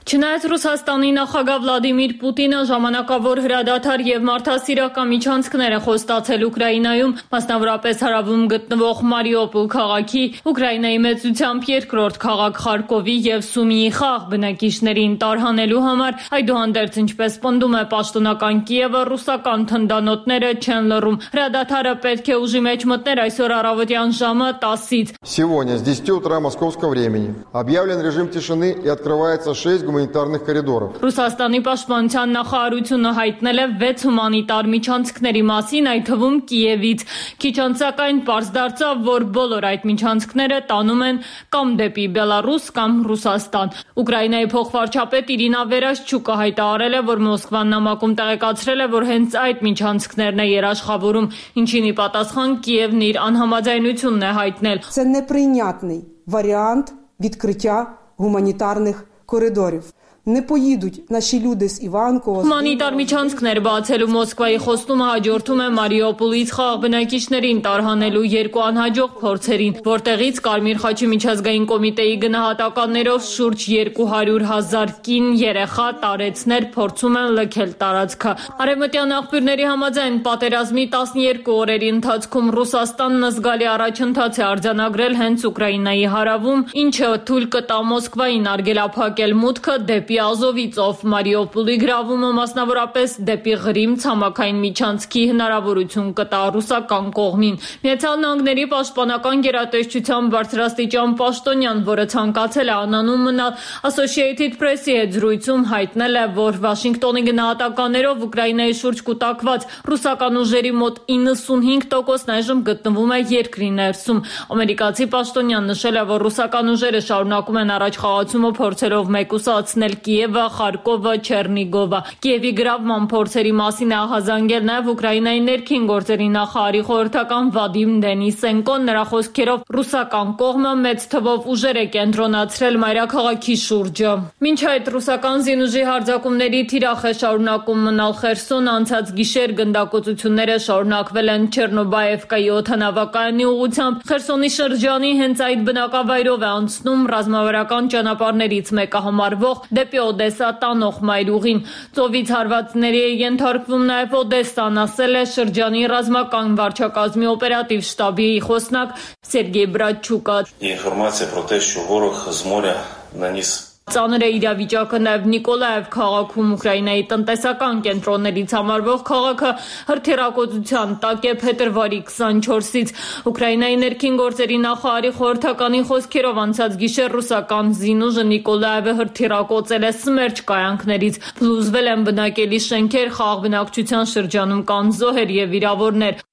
S19: Չնայած Ռուսաստանի նախագահ Վլադիմիր Պուտինը ժամանակավոր հրադադար եւ մարդասիրական միջանցքներ է խոստացել Ուկրաինայում, մասնավորապես հարավում գտնվող Մարիուպոլ քաղաքի, Ուկրաինայի մեծությամբ երկրորդ քաղաք Խարկովի եւ Սումիի խաղ բնակիչներին տարհանելու համար, այդուհանդերձ ինչպես պնդում է պաշտոնական Կիևը, ռուսական թնդանոթները չեն լռում։ Հրադադարը պետք է ուժի մեջ մտներ այսօր առավոտյան ժամը 10-ից։
S20: Сегодня с 10 утра московского времени объявлен режим тишины и открывается 6 гуманитарных коридоров.
S19: Ռուսաստանի պաշտպանության նախարարությունը հայտնել է 6 հումանիտար միջանցքների մասին, այդ թվում Կիևից։ Քիչ անց սակայն պարզ դարձավ, որ բոլոր այդ միջանցքները տանում են կամ դեպի Բելարուս կամ Ռուսաստան։ Ուկրաինայի փոխվարչապետ Իրինա Վերաշչուկը հայտարարել է, որ Մոսկվան նամակում տեղեկացրել է, որ հենց այդ միջանցքներն է երաշխավորում, ինչին ի պատասխան Կիևն իր անհամաձայնությունն է հայտնել։
S21: Це неприйнятний варіант відкриття гуманітарних коридорів. Не поїдуть наші люди з Іванкова.
S19: Հումանիտար միջանցքներ բացելու Մոսկվայի խոստումը հաջորդում է Մարիուպոլից խաղաղ բնակիչներին տարհանելու երկու անհաջող փորձերին, որտեղից Կարմիր խաչի միջազգային կոմիտեի գնահատականներով շուրջ 200,000 կին երեխա տարեցներ փորձում են լքել տարածքը։ Արևմտյան աղբյուրների համաձայն պատերազմի 12 օրերի ընթացքում Ռուսաստանն զգալի առաջընթաց է արձանագրել հենց Ուկրաինայի հարավում, ինչը թույլ կտա Մոսկվային արգելափակել մուտքը դեպի Ազովի ծով։ Մարիուպոլի գրավումը մասնավորապես դեպի Ղրիմ ցամաքային միջանցքի հնարավորություն կտա ռուսական կողմին։ Միացյալ Նահանգների պաշտպանական գերատեսչության բարձրաստիճան պաշտոնյան, որը ցանկացել է անանուն մնալ, Associated Press-ի հետ զրույցում հայտնել է, որ Վաշինգտոնի գնահատականներով Ուկրաինայի շուրջ կուտակված ռուսական ուժերի մոտ 95%-ն այժմ գտնվում է երկրի ներսում։ Ամերիկացի պաշտոնյան նշել է, որ ռուսական ուժերը շարունակում են առաջխաղացումը փորձելով մեկուսացնել Կիևը, Խարկովը, Չեռնիգովը։ Կիևի գրավման փորձերի մասին է ահազանգել նաև Ուկրաինայի ներքին գործերի նախարարի խորհրդական Վադիմ Դենիսենկոն, նրա խոսքերով ռուսական կողմը մեծ թվով ուժեր է կենտրոնացրել մայրաքաղաքի շուրջը։ Մինչ այդ ռուսական զինուժի հարձակումների թիրախ է շարունակում մնալ Խերսոն, անցած գիշեր գնդակոծությունները շարունակվել են Չեռնոբաևկայի օդանավակայանի ուղղությամբ։ Խերսոնի շրջանի հենց այդ բնակավայրով է անցնում ռազմավարական ճանապարհներից մեկը համարվող դեպի Օդեսա տանող մայրուղին։ Ծովից հարվածների է ենթարկվում նաև Օդեսան, ասել է շրջանի ռազմական վարչակազմի օպերատիվ շտաբի խոսնակ Սերգեյ Բրատչուկը։
S22: Ինֆորմացիա про те, що ворог з моря наніс
S19: Ծանր է իրավիճակը նաև Նիկոլաև քաղաքում, Ուկրաինայի տնտեսական կենտրոններից համարվող քաղաքը հրթիռակոծության տակ է փետրվարի 24-ից։ Ուկրաինայի ներքին գործերի նախարարի խորհրդականի խոսքերով անցած գիշեր ռուսական զինուժը Նիկոլաևը հրթիռակոծել է Սմերջ կայանքներից։ Փլուզվել են բնակելի շենքեր, խաղաղ բնակչության շրջանում կան զոհեր եւ վիրավորներ։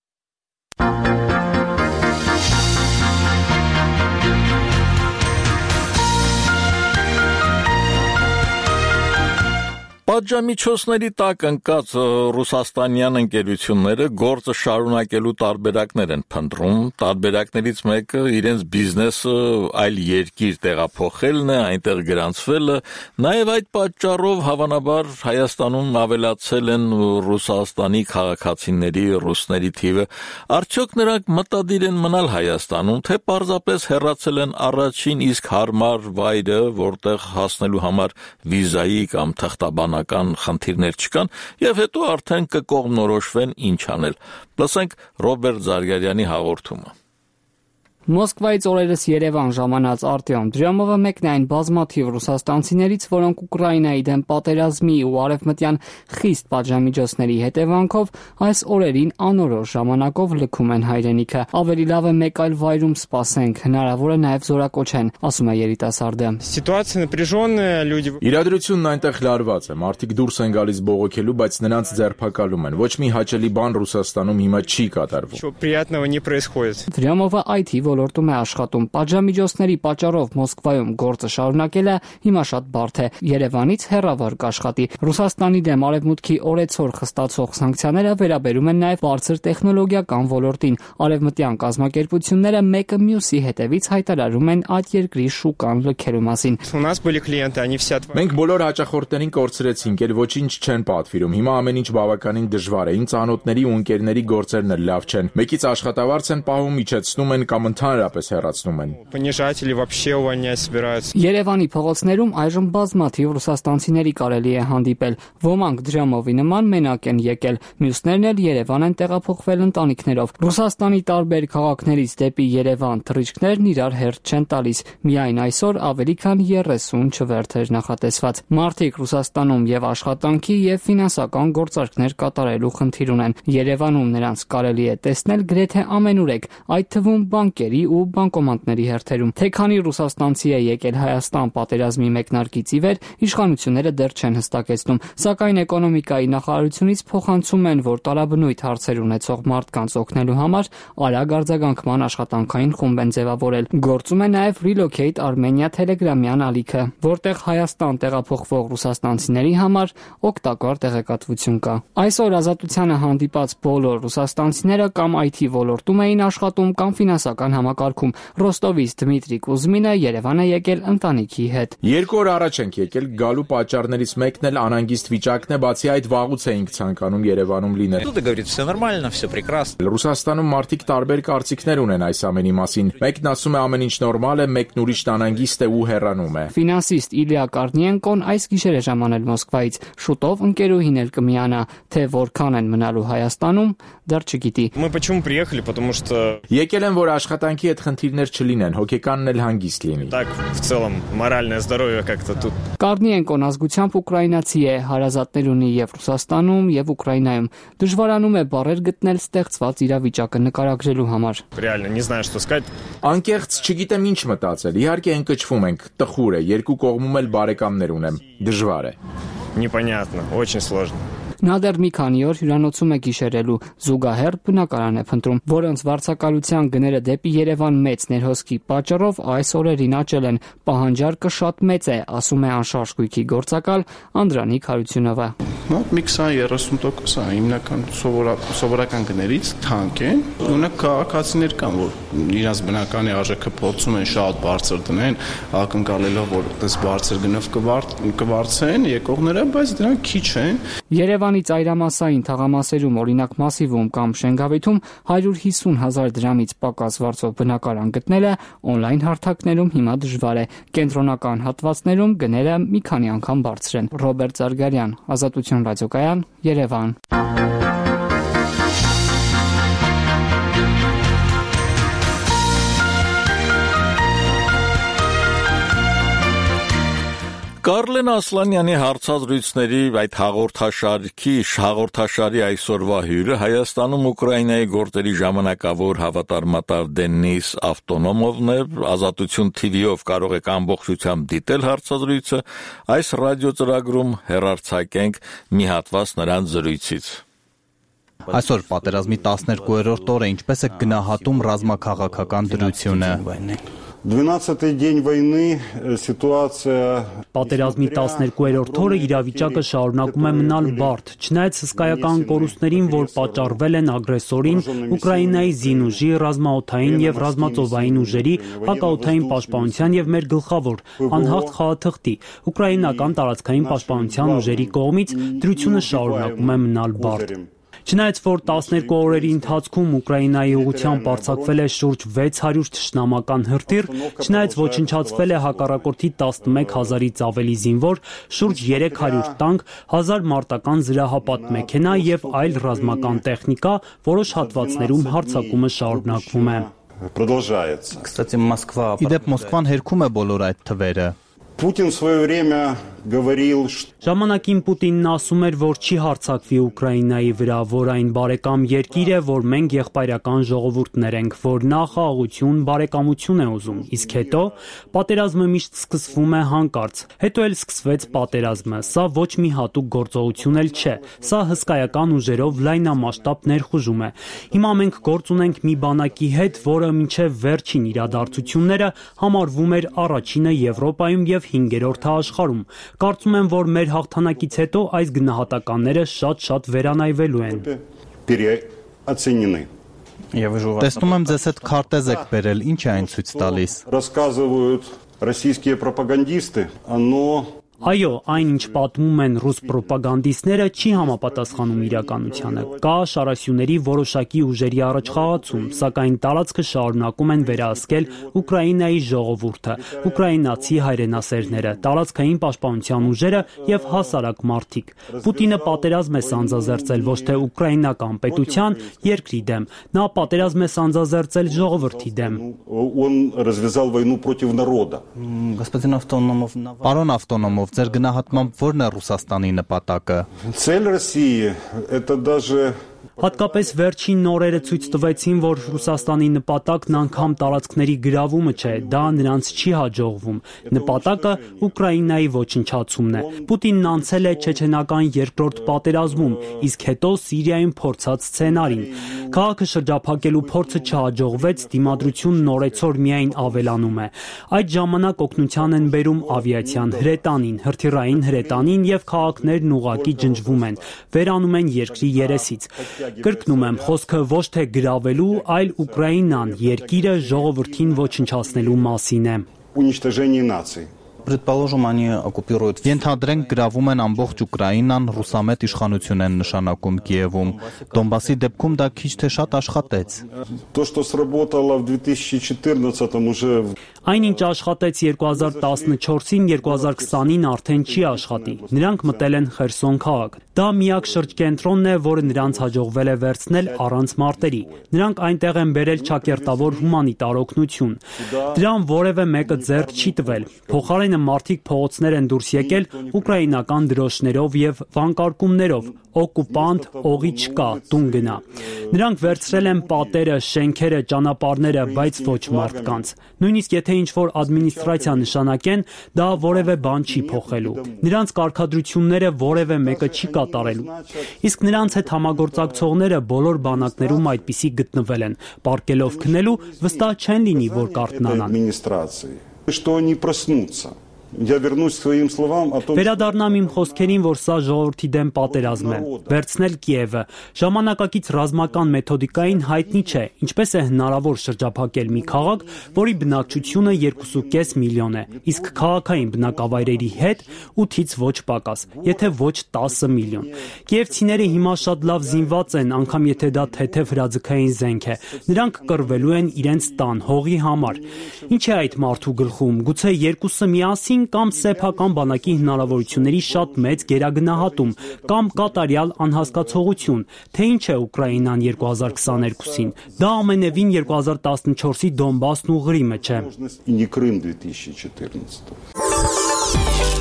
S1: Պատժամիջոցների տակ ընկած ռուսաստանյան ընկերությունները գործը շարունակելու տարբերակներ են փնտրում, տարբերակներից մեկը իրենց բիզնեսը այլ երկիր տեղափոխելն է, այնտեղ գրանցվելը, նաև այդ պատճառով հավանաբար Հայաստանում ավելացել են Ռուսաստանի քաղաքացիների, ռուսների թիվը, արդյոք նրանք մտադիր են մնալ Հայաստանում, թե պարզապես հեռացել են առաջին իսկ հարմար վայրը, որտեղ հասնելու համար վիզայի կամ թղթաբանական խնդիրներ չկան, եւ հետո արդեն կկողմնորոշվեն ինչ անել։ Լսենք Ռոբերտ Զարգարյանի հաղորդումը։
S2: Մոսկվայից օրերս Երևան ժամանած Արտյոմ Դրյամովը մեկն է այն բազմաթիվ ռուսաստանցիներից, որոնք Ուկրաինայի դեմ պատերազմի ու արևմտյան խիստ պատժամիջոցների հետևանքով այս օրերին անորոշ ժամանակով լքում են հայրենիքը։ Ավելի լավ է մեկ այլ վայրում սպասենք, հնարավոր է նաև զորակոչեն, ասում է երիտասարդը։
S4: Իրադրությունն այնտեղ լարված է, մարդիկ դուրս են գալիս բողոքելու, բայց նրանց ձերբակալում են։ Ոչ մի հաճելի բան Ռուսաստանում հիմա չի կատարվում։
S2: Դրյամովը IT ոլորտում է աշխատում։ Պատժամիջոցների պատճառով Մոսկվայում գործը շարունակելը հիմա շատ բարդ է։ Երևանից հեռավոր կաշխատի։ Ռուսաստանի դեմ արևմուտքի օրեցօր խստացող սանկցիաները վերաբերում են նաև բարձր տեխնոլոգիական ոլորտին։ Արևմտյան կազմակերպությունները մեկը մյուսի հետևից հայտարարում են այդ երկրի շուկան լքելու մասին։
S4: Մենք բոլոր հաճախորդներին կորցրեցինք, էլ ոչինչ չեն պատվիրում։ Հիմա ամեն ինչ բավականին դժվար է։ Ինձ անոթների ու ընկերների գործերն էլ լավ չեն։ Մեկից աշխատավարձ են պահում, իջեցնում են կամ ընդհանրապես հեռացնում են։
S2: Երևանի փողոցներում այժմ բազմաթիվ ռուսաստանցիների կարելի է հանդիպել։ Ոմանք Դրյամովի նման մենակ են եկել, մյուսներն էլ Երևան են տեղափոխվել ընտանիքներով։ Ռուսաստանի տարբեր քաղաքներից դեպի Երևան թռիչքներն իրար հերթ չեն տալիս։ Միայն այսօր ավելի քան 30 չվերթեր նախատեսված։ Մարդիկ Ռուսաստանում եւ աշխատանքի եւ ֆինանսական գործարքներ կատարելու խնդիր ունեն։ Երևանում նրանց կարելի է տեսնել գրեթե ամենուրեք, այդ թվում բանկերի ու բանկոմատների հերթերում։ Թե քանի ռուսաստանցի է եկել Հայաստան պատերազմի մեկնարկից ի վեր, իշխանությունները դեռ չեն հստակեցնում, սակայն էկոնոմիկայի նախարարությունից փոխանցում են, որ տարաբնույթ հարցեր ունեցող մարդկանց օգնելու համար արագ արձագանքման աշխատանքային խումբ են ձևավորել։ Գործում է նաև Relocate Armenia Telegram-յան ալիքը, որտեղ Հայաստան տեղափոխվող ռուսաստանցիների համար օգտակար տեղեկատվություն կա։ Այսօր Ազատությանը հանդիպած բոլոր ռուսաստանցիները կամ IT ոլորտում էին աշխատում կամ ֆինանսական համակարգում։ Ռոստովից Դմիտրի Կուզմինը Երևան է եկել ընտանիքի հետ։
S4: 2 օր առաջ ենք եկել, գալու պատճառներից մեկն էլ անհանգիստ վիճակն է, բացի այդ վաղուց էինք ցանկանում Երևանում լինել։ Ռուսաստանում մարդիկ տարբեր կարծիքներ ունեն այս ամենի մասին։ Մեկն ասում է ամեն ինչ նորմալ է, մեկն ուրիշն անհանգիստ է ու հեռանում է։
S2: Ֆինանսիստ Իլիա Կարնիենկոն այս գիշեր է ժամանել Մոսկվայից։ Շուտով ընկերուհին էլ կմիանա, թե որքան են մնալու Հայաստանում, դեռ չգիտի։
S4: Եկել են, որ աշխատանքի հետ խնդիրներ չլինեն, հոգեկանն էլ հանգիստ լինի։
S2: Կարնիենկոն ազգությամբ ուկրաինացի է, հարազատներ ունի եւ Ռուսաստանում եւ Ուկրաինայում։ Դժվարանում է բառեր գտնել ստեղծված իրավիճակը նկարագրելու համար։
S4: Անկեղծ չգիտեմ ինչ մտածել։ Իհարկե ընկճվում ենք, տխուր է, երկու կողմում էլ բարեկամներ ունեմ։ Դժվար է։
S2: Նա դեռ մի քանի օր հյուրանոցում է գիշերելու, զուգահեռ բնակարան է փնտրում, որոնց վարձակալության գները դեպի Երևան մեծ ներհոսքի պատճառով այս օրերին աճել են։ Պահանջարկը շատ մեծ է, ասում է անշարժ գույքի գործակալ Անդրանիկ Հարությունովը։
S23: Մոտ մի 20-30% է հիմնական սովորական գներից թանկ են։ Ունակ քաղաքացիներ կան, որ իրաց բնականի արժեքը փորձում են շատ բարձր դնեն, ակնկալելով, որ այդպես բարձր գնով կվարձեն եկողները, բայց դրանք քիչ են։
S2: Երևանի ծայրամասային թաղամասերում, օրինակ Մասիվում կամ Շենգավիթում 150,000 դրամից պակաս վարձով բնակարան գտնելը օնլայն հարթակներում հիմա դժվար է։ Կենտրոնական հատվածներում գները մի քանի անգամ բարձր են։ Ռոբերտ Զարգարյան, Ազատություն ռադիոկայան, Երևան։
S1: Կարլեն Ասլանյանի հարցազրույցների այդ հաղորդաշարի այսօրվա հյուրը Հայաստանում Ուկրաինայի գործերի ժամանակավոր հավատարմատար Դենիս Ավտոնոմովն է։ Ազատություն TV-ով կարող եք ամբողջությամբ դիտել հարցազրույցը, այս ռադիոծրագրում հեռարձակենք մի հատված նրանց զրույցից։
S11: Այսօր պատերազմի 12-րդ օրը ինչպես է գնահատում ռազմաքաղաքական դրությունը։
S3: 12-й день войны ситуация
S10: Պատերազմի 12-րդ օրը իրավիճակը շարունակում է մնալ բարդ, չնայած հսկայական կորուստներին, որ պատճառվել են ագրեսորին, Ուկրաինայի զինուժի, ռազմաօդային եւ ռազմածովային ուժերի, հակաօդային պաշտպանության եւ մեր գլխավոր անհաղթ խաղաթղթի ուկրաինական տարածքային պաշտպանության ուժերի կողմից դրությունը շարունակում է մնալ բարդ։ Չնայած որ 12 օրերի ընթացքում Ուկրաինայի ուղղությամբ արձակվել է շուրջ 600 թշնամական հրթիռ, չնայած ոչնչացվել է հակառակորդի 11000-ից ավելի զինվոր, շուրջ 300 տանկ, 1000 մարտական զրահապատ մեքենա եւ այլ ռազմական տեխնիկա, որոշ հատվածներում հարձակումը շարունակվում է։
S11: Իդեպ Մոսկվան հերքում է բոլոր այդ թվերը։
S3: Путин в свое время говорил, что
S10: Ժամանակին Պուտինն ասում էր, որ չի հարձակվի Ուկրաինայի վրա, որ այն բարեկամ երկիր է, որ մենք եղբայրական ժողովուրդներ ենք, որ նա խաղաղություն, բարեկամություն է ուզում, իսկ հետո պատերազմը միշտ սկսվում է հանկարծ, հետո էլ սկսվեց պատերազմը, սա ոչ մի հատուկ գործողություն էլ չէ, սա հսկայական ուժերով լայնամասշտաբ ներխուժում է։ Հիմա մենք գործ ունենք մի բանակի հետ, որը մինչև վերջին իրադարձությունները համարվում էր առաջինը Եվրոպայում եւ 5-րդը աշխարհում։ Կարծում եմ, որ մեր հաղթանակից հետո այս գնահատականները շատ վերանայվելու են։
S11: Տեսնում եմ ձեզ հետ քարտեզ եք բերել, ինչ է այն ցույց տալիս։
S3: Рассказывают российские пропагандисты, оно
S10: Այո, այն ինչ պատմում են ռուս պրոպագանդիստները չի համապատասխանում իրականությանը։ Կա շարասյուների որոշակի ուժերի առաջխաղացում, սակայն տարածքը շարունակում են վերահսկել Ուկրաինայի ժողովուրդը, ուկրաինացի հայրենասերները, տարածքային պաշտպանության ուժերը եւ հասարակ մարդիկ։ Պուտինը պատերազմ է սանձազերծել ոչ թե ուկրաինական պետության, երկրի դեմ, նա պատերազմ է սանձազերծել ժողովրդի դեմ։
S3: Он развязал войну против народа.
S11: Պարոն Ավտոնոմով, ձեր գնահատմամբ ո՞րն է Ռուսաստանի նպատակը։
S3: Цель России это даже
S10: Հատկապես վերջին նորերը ցույց տվեցին, որ Ռուսաստանի նպատակն անգամ տարածքների գրավումը չէ, դա նրանց չի հաջողվում։ Նպատակը Ուկրաինայի ոչնչացումն է։ Պուտինն անցել է չեչենական երկրորդ պատերազմում, իսկ հետո Սիրիայում փորձած սցենարին։ Քաղաքը շրջափակելու փորձը չհաջողվեց, դիմադրությունն օրեցօր միայն ավելանում է։ Այդ ժամանակ օգնության են բերում ավիացիան հրետանին, հրթիռային հրետանին եւ քաղաքներն ուղակի ջնջվում են, վերանում են երկրի երեսից։ Կրկնում եմ, խոսքը ոչ թե գրավելու, այլ Ուկրաինան, երկիրը ժողովրդին ոչնչացնելու մասին է։
S3: Уничтожение наций.
S11: Ենթադրենք գրավում են ամբողջ Ուկրաինան, ռուսամետ իշխանություն են նշանակում Կիևում։ Դոնբասի դեպքում դա քիչ թե շատ աշխատեց։
S3: То, что сработало в 2014-м уже
S10: Այն ինչ աշխատեց 2014-ին, 2020-ին արդեն չի աշխատի։ Նրանք մտել են Խերսոն քաղաք։ Դա միակ շրջկենտրոնն է, որը նրանց հաջողվել է վերցնել առանց մարտերի։ Նրանք այնտեղ են բերել ճակերտավոր հումանիտար օգնություն։ Դրան որևէ մեկը ձեռք չի տվել։ Փոխարենը մարդիկ փողոցներ են դուրս եկել ուկրաինական դրոշներով եւ վանկարկումներով. օկուպանտ, օղի չկա, տուն գնա։ Նրանք վերցրել են պատերը, շենքերը, ճանապարհները, բայց ոչ մարդկանց։ Նույնիսկ եթե ինչ-որ ադմինիստրացիա նշանակեն, դա որևէ բան չի փոխելու։ Նրանց կարգադրությունները որևէ մեկը չի կատարելու։ Իսկ նրանց հետ համագործակցողները բոլոր բանակներում այդպիսի գտնվել են, պարկելով քնելու, վստահ չեն լինի, որ կարթնանան։
S3: Что они проснутся. Я вернусь к своим словам о том,
S10: Վերադառնամ իմ խոսքերին, որ սա ժողովրդի դեմ պատերազմ է։ Վերցնել Կիևը ժամանակակից ռազմական մեթոդիկային հայտնի չէ, ինչպես է հնարավոր շրջափակել մի քաղաք, որի բնակչությունը 2.5 միլիոն է, իսկ քաղաքային բնակավայրերի հետ 8-ից ոչ պակաս, եթե ոչ 10 միլիոն։ Կիևցիները հիմա շատ լավ զինված են, անգամ եթե դա թեթև հրաձգային զենք է։ Նրանք կռվելու են իրենց տան հողի համար։ Ինչ է այդ մարդու գլխում, գուցե երկուսը միասին կամ սեփական բանակի հնարավորությունների շատ մեծ գերագնահատում կամ կատարյալ անհասկացողություն, թե ինչ է Ուկրաինան 2022-ին։ Դա ամենևին 2014-ի Դոնբասն ու Ղրիմը չէ։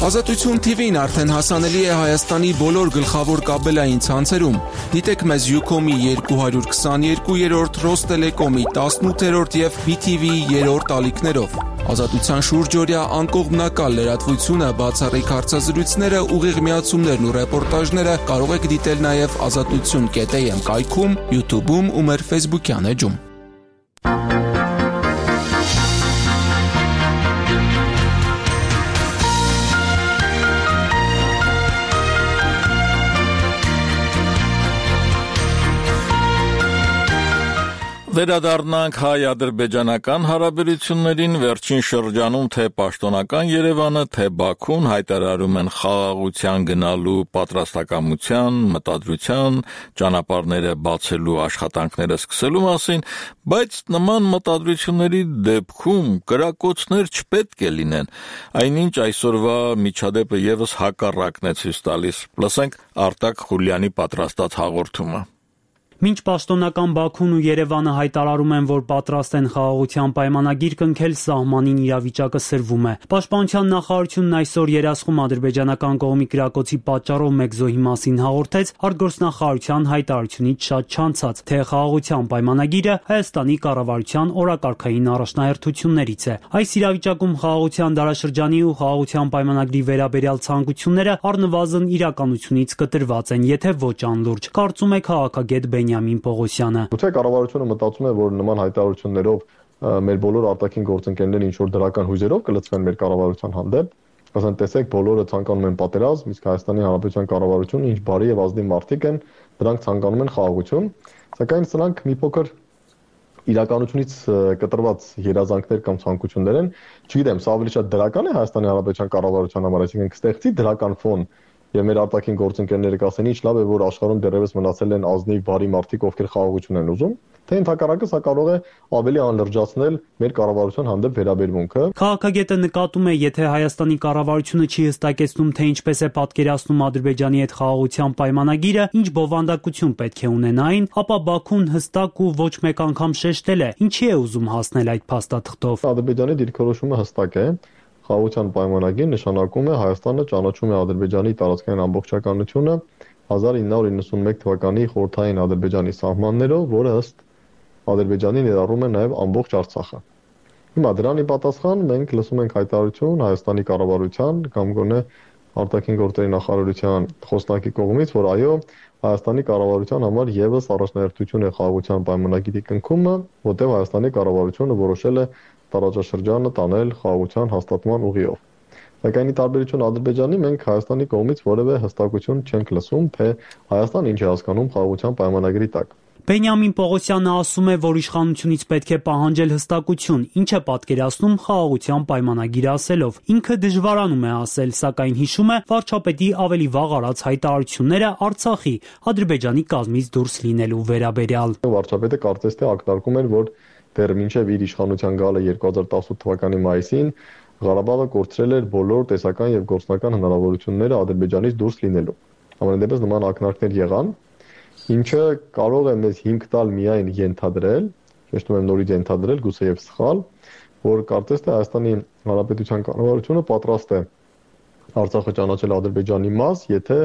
S9: Ազատություն TV-ն արդեն հասանելի է Հայաստանի բոլոր գլխավոր կաբելային ցանցերում։ Դիտեք մեզ Ucom-ի 222-րդ, Ռոստելեկոմի 18-րդ եւ BTV-ի 3-րդ ալիքներով։ Ազատության շուրջօրյա անկողմնակալ լրատվությունը, բացառիկ հարցազրույցները, ուղիղ միացումներն ու ռեպորտաժները կարող եք դիտել նաև azatutsun.am կայքում, YouTube-ում ու մեր Facebook-յան էջում։
S1: Վերադառնանք հայ-ադրբեջանական հարաբերություններին վերջին շրջանում թե պաշտոնական Երևանը, թե Բաքուն հայտարարում են խաղաղության գնալու պատրաստակամության, մտադրության, ճանապարհները բացելու աշխատանքները սկսելու մասին, բայց նման մտադրությունների դեպքում կրակոցներ չպետք է լինեն, այնինչ այսօրվա միջադեպը եւս հակառակն է ցույց տալիս։ Լսենք Արտակ Խուլյանի պատրաստած հաղորդումը։
S10: Մինչ պաշտոնական Բաքուն ու Երևանը հայտարարում են, որ պատրաստ են խաղաղության պայմանագիր կնքել, սահմանին իրավիճակը սրվում է։ Պաշտպանության նախարարությունն այսօր երասխում ադրբեջանական կողմի կրակոցի պատճառով մեկ զոհի մասին հաղորդեց արտգործնախարարության հայտարարությունից շատ չանցած, թե խաղաղության պայմանագիրը Հայաստանի կառավարության օրակարգային առաջնահերթություններից է։ Այս իրավիճակում խաղաղության դարաշրջանի ու խաղաղության պայմանագրի վերաբերյալ ցանկությունները առնվազն իրականությունից կտրված են, եթե ոչ անլուրջ, կարծում է քաղաքագետ Բենյամին Պողոսյանը։
S5: Գուցե կառավարությունը մտածում է, որ նման հայտարարություններով մեր բոլոր արտաքին գործընկերները ինչ որ դրական հույզերով կլցվեն մեր կառավարության հանդեպ, ասեն տեսեք բոլորը ցանկանում են պատերազմ, իսկ Հայաստանի Հանրապետության կառավարությունը ինչ բարի եւ ազնիվ մարդիկ են, դրանք ցանկանում են խաղաղություն, սակայն սրանք մի փոքր իրականությունից կտրված երազանքներ կամ ցանկություններ են, չգիտեմ, սա ավելի շատ դրական է Հայաստանի Հանրապետության կառավարության համար, այսինքն կստեղծի դրական ֆոն եւ մեր արտաքին գործընկերները կասեն ինչ լավ է, որ աշխարհում դեռևս մնացել են ազնիվ բարի մարդիկ, ովքեր խաղաղություն են ուզում, թե ընդհակառակը սա կարող է ավելի անլրջացնել մեր կառավարության հանդեպ վերաբերմունքը։
S10: Քաղաքագետը նկատում է, եթե Հայաստանի կառավարությունը չի հստակեցնում, թե ինչպես է պատկերացնում Ադրբեջանի հետ խաղաղության պայմանագիրը, ինչ բովանդակություն պետք է ունենա այն, ապա Բաքուն հստակ ու ոչ մեկ անգամ շեշտել է, ինչի է ուզում հասնել այդ փաստաթղթով։
S5: Ադրբեջանի դիրքորոշումը հստակ է։ Խաղաղության պայմանագիր նշանակում է Հայաստանը ճանաչում է Ադրբեջանի տարածքային ամբողջականությունը 1991 թվականի խորհրդային Ադրբեջանի սահմաններով, որը ըստ Ադրբեջանի ներառում է նաև ամբողջ Արցախը։ Հիմա դրանի պատասխան մենք լսում ենք հայտարարություն Հայաստանի կառավարության կամ գոնե արտաքին գործերի նախարարության խոսնակի կողմից, որ այո, Հայաստանի կառավարության համար եւս առաջնահերթություն է խաղաղության պայմանագիրի կնքումը, որտեղ Հայաստանի կառավարությունը որոշել է տարածաշրջանը տանել խաղաղության հաստատման ուղիով։ Սակայն ի տարբերություն Ադրբեջանի մենք Հայաստանի կողմից որևէ հստակություն չենք լսում, թե Հայաստանը ինչ է հասկանում խաղաղության պայմանագրի տակ։
S10: Բենյամին Պողոսյանը ասում է, որ իշխանությունից պետք է պահանջել հստակություն, ինչ է պատկերացնում խաղաղության պայմանագիրը ասելով։ Ինքը դժվարանում է ասել, սակայն հիշում է վարչապետի ավելի վաղ արած հայտարարությունները Արցախի Ադրբեջանի կազմից դուրս լինելու վերաբերյալ։
S5: Վարչապետը կարծես թե ակնարկում էր, որ դեռ մինչև իր իշխանության գալը 2018 թվականի մայիսին Ղարաբաղը կորցրել էր բոլոր տեսական եւ գործնական հնարավորությունները Ադրբեջանից դուրս լինելու։ Համենայնդեպս նման ակնարկներ եղան, ինչը կարող է մեզ հիմք տալ միայն ենթադրել, շեշտում եմ նորից ենթադրել, գուցե եւ սխալ, որ կարծես թե Հայաստանի Հանրապետության կառավարությունը պատրաստ է Արցախը ճանաչել Ադրբեջանի մաս, եթե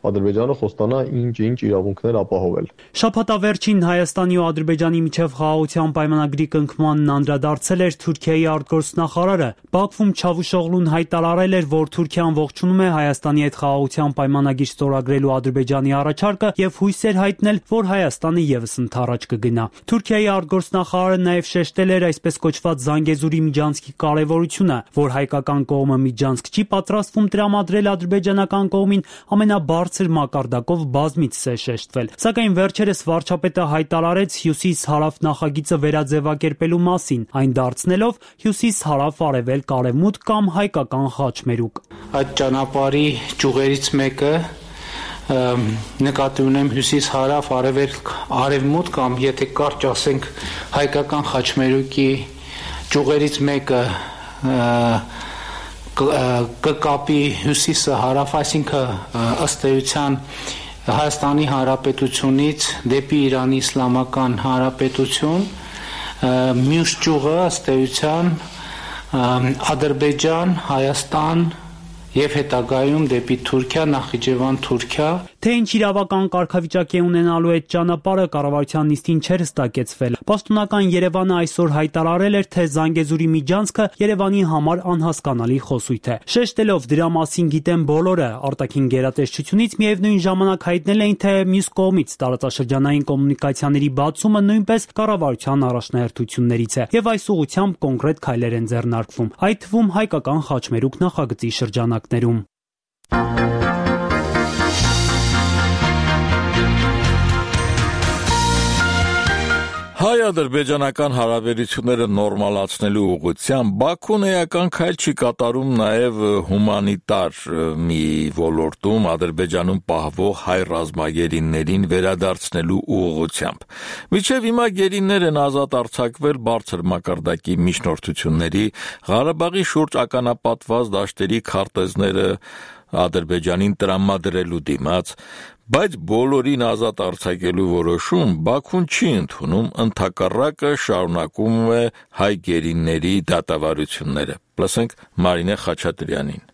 S5: Ադրբեջանը խոստանա ինչ իրավունքներ ապահովել։
S10: Շաբաթավերջին Հայաստանի ու Ադրբեջանի միջև խաղաղության պայմանագրի կնքմանն անդրադարձել էր Թուրքիայի արտգործնախարարը։ Բաքվում Չավուշօղլուն հայտարարել էր, որ Թուրքիան ողջունում է Հայաստանի հետ խաղաղության պայմանագիր ստորագրելու Ադրբեջանի առաջարկը եւ հույս էր հայտնել, որ Հայաստանը եւս ընդառաջ կգնա։ Թուրքիայի արտգործնախարարը նաեւ շեշտել էր այսպես կոչված Զանգեզուրի միջանցքի կարեւորությունը, որ հայկական կողմը միջանցք չի պատրաստվում տրամադրել ադրբեջանական կողմին ամենաբարձր մակարդակով բազմիցս է շեշտվել։ Սակայն վերջերս վարչապետը հայտարարեց հյուսիս-հարավ նախագիծը վերաձևակերպելու մասին, այն դարձնելով հյուսիս-հարավ-արևելք արևմուտք կամ հայկական խաչմերուկ։
S6: Այդ ճանապարհի ճյուղերից մեկը նկատի ունեմ հյուսիս-հարավ, արևելք, արևմուտք կամ եթե կարճ ասենք հայկական խաչմերուկի ճյուղերից մեկը կկապի հյուսիսը հարավ, այսինքն ըստ էության Հայաստանի Հանրապետությունից դեպի Իրանի Իսլամական Հանրապետություն, մյուս ճյուղը ըստ էության Ադրբեջան, Հայաստան եւ հետագայում դեպի Թուրքիա, Նախիջևան, Թուրքիա։
S10: Թե ինչ իրավական կարգավիճակ է ունենալու այդ ճանապարհը կառավարության նիստին չէր հստակեցվել։ Պաշտոնական Երևանը այսօր հայտարարել էր, թե Զանգեզուրի միջանցքը Երևանի համար անհասկանալի խոսույթ է։ Շեշտելով դրա մասին գիտեն բոլորը, արտաքին գերատեսչությունից միևնույն ժամանակ հայտնել էին, թե մյուս կողմից տարածաշրջանային կոմունիկացիաների բացումը նույնպես կառավարության առաջնահերթություններից է եւ այս ուղղությամբ կոնկրետ քայլեր են ձեռնարկվում, այդ թվում հայկական խաչմերուկ նախագծի շրջանակներում։
S1: Հայ-ադրբեջանական հարաբերությունները նորմալացնելու ուղղությամբ Բաքուն էական քայլ չի կատարում նաև հումանիտար մի ոլորտում Ադրբեջանում պահվող հայ ռազմագերիներին վերադարձնելու ուղղությամբ։ Մինչև հիմա գերիներ են ազատ արձակվել բարձր մակարդակի միջնորդությունների, Ղարաբաղի շուրջ ականապատված դաշտերի քարտեզները Ադրբեջանին տրամադրելու դիմաց, բայց բոլորին ազատ արձակելու որոշում Բաքուն չի ընդունում, ընդհակառակը շարունակում է հայ գերիների դատավարությունները։ Լսենք Մարինե Խաչատրյանին։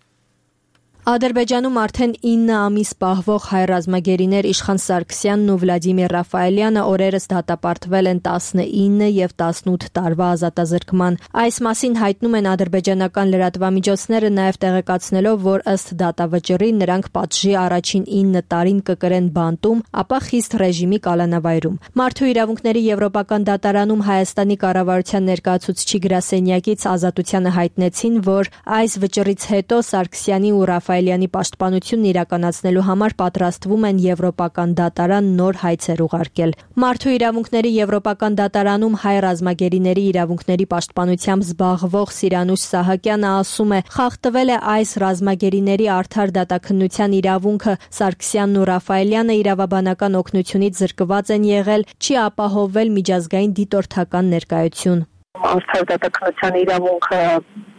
S7: Ադրբեջանում արդեն 9 ամիս պահվող հայ ռազմագերիներ Իշխան Սարգսյանն ու Վլադիմիր Ռաֆայելյանը օրերս դատապարտվել են 19 եւ 18 տարվա ազատազրկման։ Այս մասին հայտնում են ադրբեջանական լրատվամիջոցները, նաեւ տեղեկացնելով, որ ըստ դատավճռի նրանք պատժի առաջին 9 տարին կկրեն բանտում, ապա խիստ ռեժիմի կալանավայրում։ Մարդու իրավունքների եվրոպական դատարանում Հայաստանի կառավարության ներկայացուցիչի գրասենյակից Ազատությանը հայտնեցին, որ այս վճռից հետո Սարգսյանի ու Ռաֆայելյանի պաշտպանությունն իրականացնելու համար պատրաստվում են եվրոպական դատարան նոր հայցեր ուղարկել։ Մարդու իրավունքների եվրոպական դատարանում հայ ռազմագերիների իրավունքների պաշտպանությամբ զբաղվող Սիրանուշ Սահակյանը ասում է, խախտվել է այս ռազմագերիների արդար դատաքննության իրավունքը, Սարգսյանն ու Ռաֆայելյանը իրավաբանական օգնությունից զրկված են եղել, չի ապահովվել միջազգային դիտորդական ներկայություն։
S8: Արդար դատաքննության իրավունքը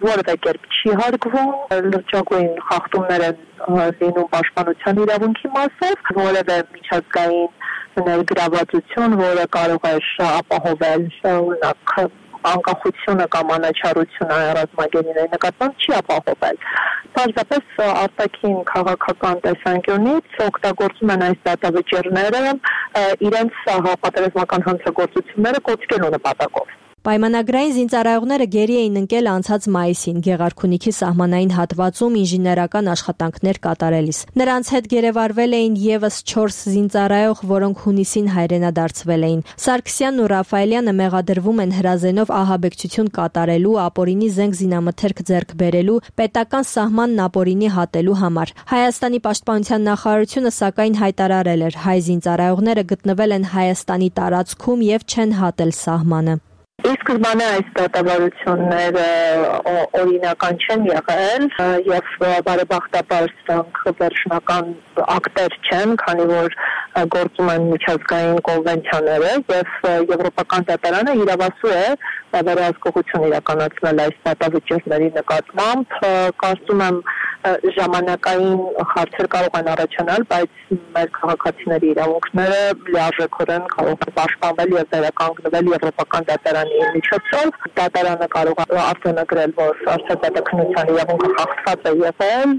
S8: որևէ կերպ չի հարգվում, լրջագույն խախտումներ են լինում պաշտպանության իրավունքի մասով, որևէ միջազգային ներգրավվածություն, որը կարող է ապահովել օրինակ անկախությունը կամ անաչառությունը ռազմագերիների նկատմամբ չի ապահովել։ Պարզապես արտաքին քաղաքական տեսանկյունից օգտագործում են այս դատավճիռները իրենց պատերազմական հանցագործությունները կոչելու նպատակով։
S7: Պայմանագրային զինծառայողները գերի էին ընկել անցած մայիսին Գեղարքունիքի սահմանային հատվածում ինժեներական աշխատանքներ կատարելիս։ Նրանց հետ գերեվարվել էին եւս 4 զինծառայող, որոնք հունիսին հայրենադարձվել էին։ Սարգսյանն ու Ռաֆայելյանը մեղադրվում են հրազենով ահաբեկչություն կատարելու, ապօրինի զենք զինամթերք ձեռք բերելու, պետական սահմանն ապօրինի հատելու համար։ Հայաստանի պաշտպանության նախարարությունը սակայն հայտարարել էր, հայ զինծառայողները գտնվել են Հայաստանի տարածքում եւ չեն հատել սահմանը։
S8: Սկզբանե այս դատավարությունները օրինական չեն եղել եւ բարեբախտաբար սրանք վերջնական ակտեր չեն, քանի որ գործում են միջազգային կոնվենցիաները եւ եվրոպական դատարանը իրավասու է վերահսկողություն իրականացնել այս դատավճիռների նկատմամբ։ Կարծում եմ ժամանակային հարցեր կարող են առաջանալ, բայց մեր քաղաքացիների իրավունքները լիարժեքորեն կարող են պաշտպանվել եւ վերականգնվել եվրոպական դատարանի միջոցով։ Դատարանը կարող է արձանագրել, որ արդար դատաքննության իրավունքը խախտված է եղել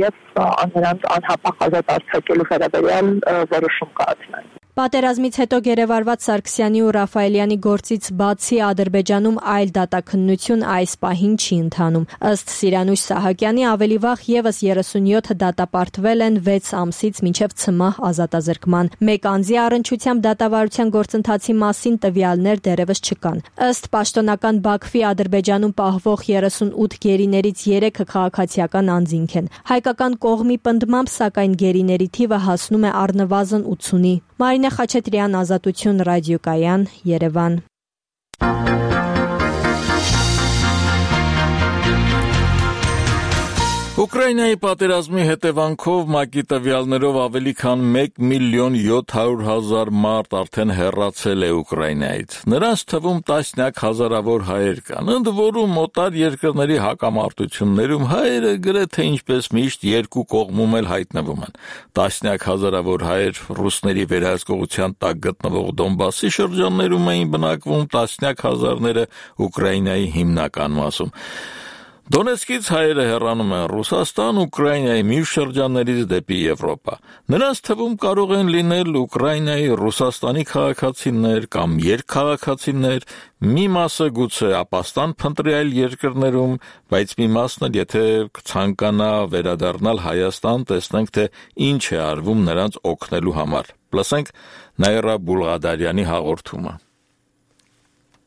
S8: եւ նրանց անհապաղ ազատ արձակելու վերաբերյալ որոշում կայացնել։
S7: Պատերազմից հետո գերեվարված Սարգսյանի ու Ռաֆայելյանի գործից բացի Ադրբեջանում այլ դատաքննություն այս պահին չի ընթանում։ Ըստ Սիրանուշ Սահակյանի ավելի վաղ եւս 37 դատապարտվել են 6 ամսից մինչև ցմահ ազատազրկման։ Մեկ անձի առնչությամբ դատավարության գործընթացի մասին տվյալներ դեռևս չկան։ Ըստ պաշտոնական Բաքվի Ադրբեջանում պահվող 38 գերիներից 3-ը քաղաքացիական անձինք են։ Հայկական կողմի պնդմամբ սակայն գերիների թիվը հասնում է առնվազն 80-ի։ Մարինե Խաչատրյան, Ազատություն ռադիոկայան, Երևան։
S1: Ուկրաինայի պատերազմի հետևանքով ՄԱԿ-ի տվյալներով ավելի քան 1,700,000 մարդ արդեն հեռացել է Ուկրաինայից։ Նրանց թվում տասնյակ հազարավոր հայեր կան, ընդ որում օտար երկրների հակամարտություններում հայերը գրեթե ինչպես միշտ երկու կողմում էլ հայտնվում են։ Տասնյակ հազարավոր հայեր ռուսների վերահսկողության տակ գտնվող Դոնբասի շրջաններում էին բնակվում, տասնյակ հազարները Ուկրաինայի հիմնական մասում։ Դոնեցկից հայերը հեռանում են Ռուսաստան, Ուկրաինայի մյուս շրջաններից դեպի Եվրոպա։ Նրանց թվում կարող են լինել Ուկրաինայի, Ռուսաստանի քաղաքացիներ կամ երկքաղաքացիներ, մի մասը գուցե ապաստան փնտրի այլ երկրներում, բայց մի մասն էլ եթե ցանկանա վերադառնալ Հայաստան, տեսնենք թե ինչ է արվում նրանց օգնելու համար։ Լսենք Նաիրա Բուլղադարյանի հաղորդումը։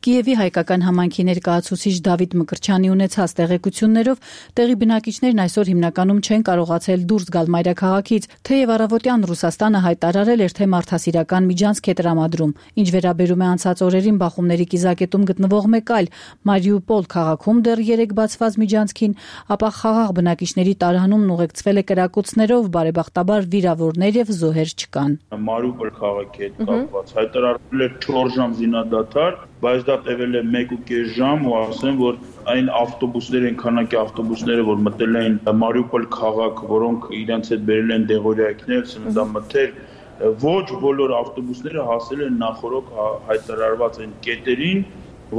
S12: Կիևի հայկական համայնքի ներկայացուցիչ Դավիթ Մկրտչյանի ունեցած տեղեկություններով տեղի բնակիչներն այսօր հիմնականում չեն կարողացել դուրս գալ մայրաքաղաքից, թեև առավոտյան Ռուսաստանը հայտարարել էր, թե մարդասիրական միջանցք է տրամադրում։ Ինչ վերաբերում է անցած օրերին բախումների կիզակետում գտնվող մեկ այլ Մարիուպոլ քաղաքում դեռ 3 բացված միջանցքին, ապա խաղաղ բնակիչների տարհանումն ուղեկցվել է կրակոցներով, բարեբախտաբար վիրավորներ եւ զոհեր չկան։
S13: Մարիուպոլ քաղաքի հետ կապված հայտարարվել էր 4 ժամ զինադադար, բայց դա տևել է 1.5 ժամ ու ասեմ, որ այն ավտոբուսներ, այն քանակի ավտոբուսները, որ մտել էին Մարիուպոլ քաղաք, որոնք իրենց հետ բերել են դեղորայքներ, սննդամթեր, ոչ բոլոր ավտոբուսները հասել են նախորդ հայտարարված այն կետերին,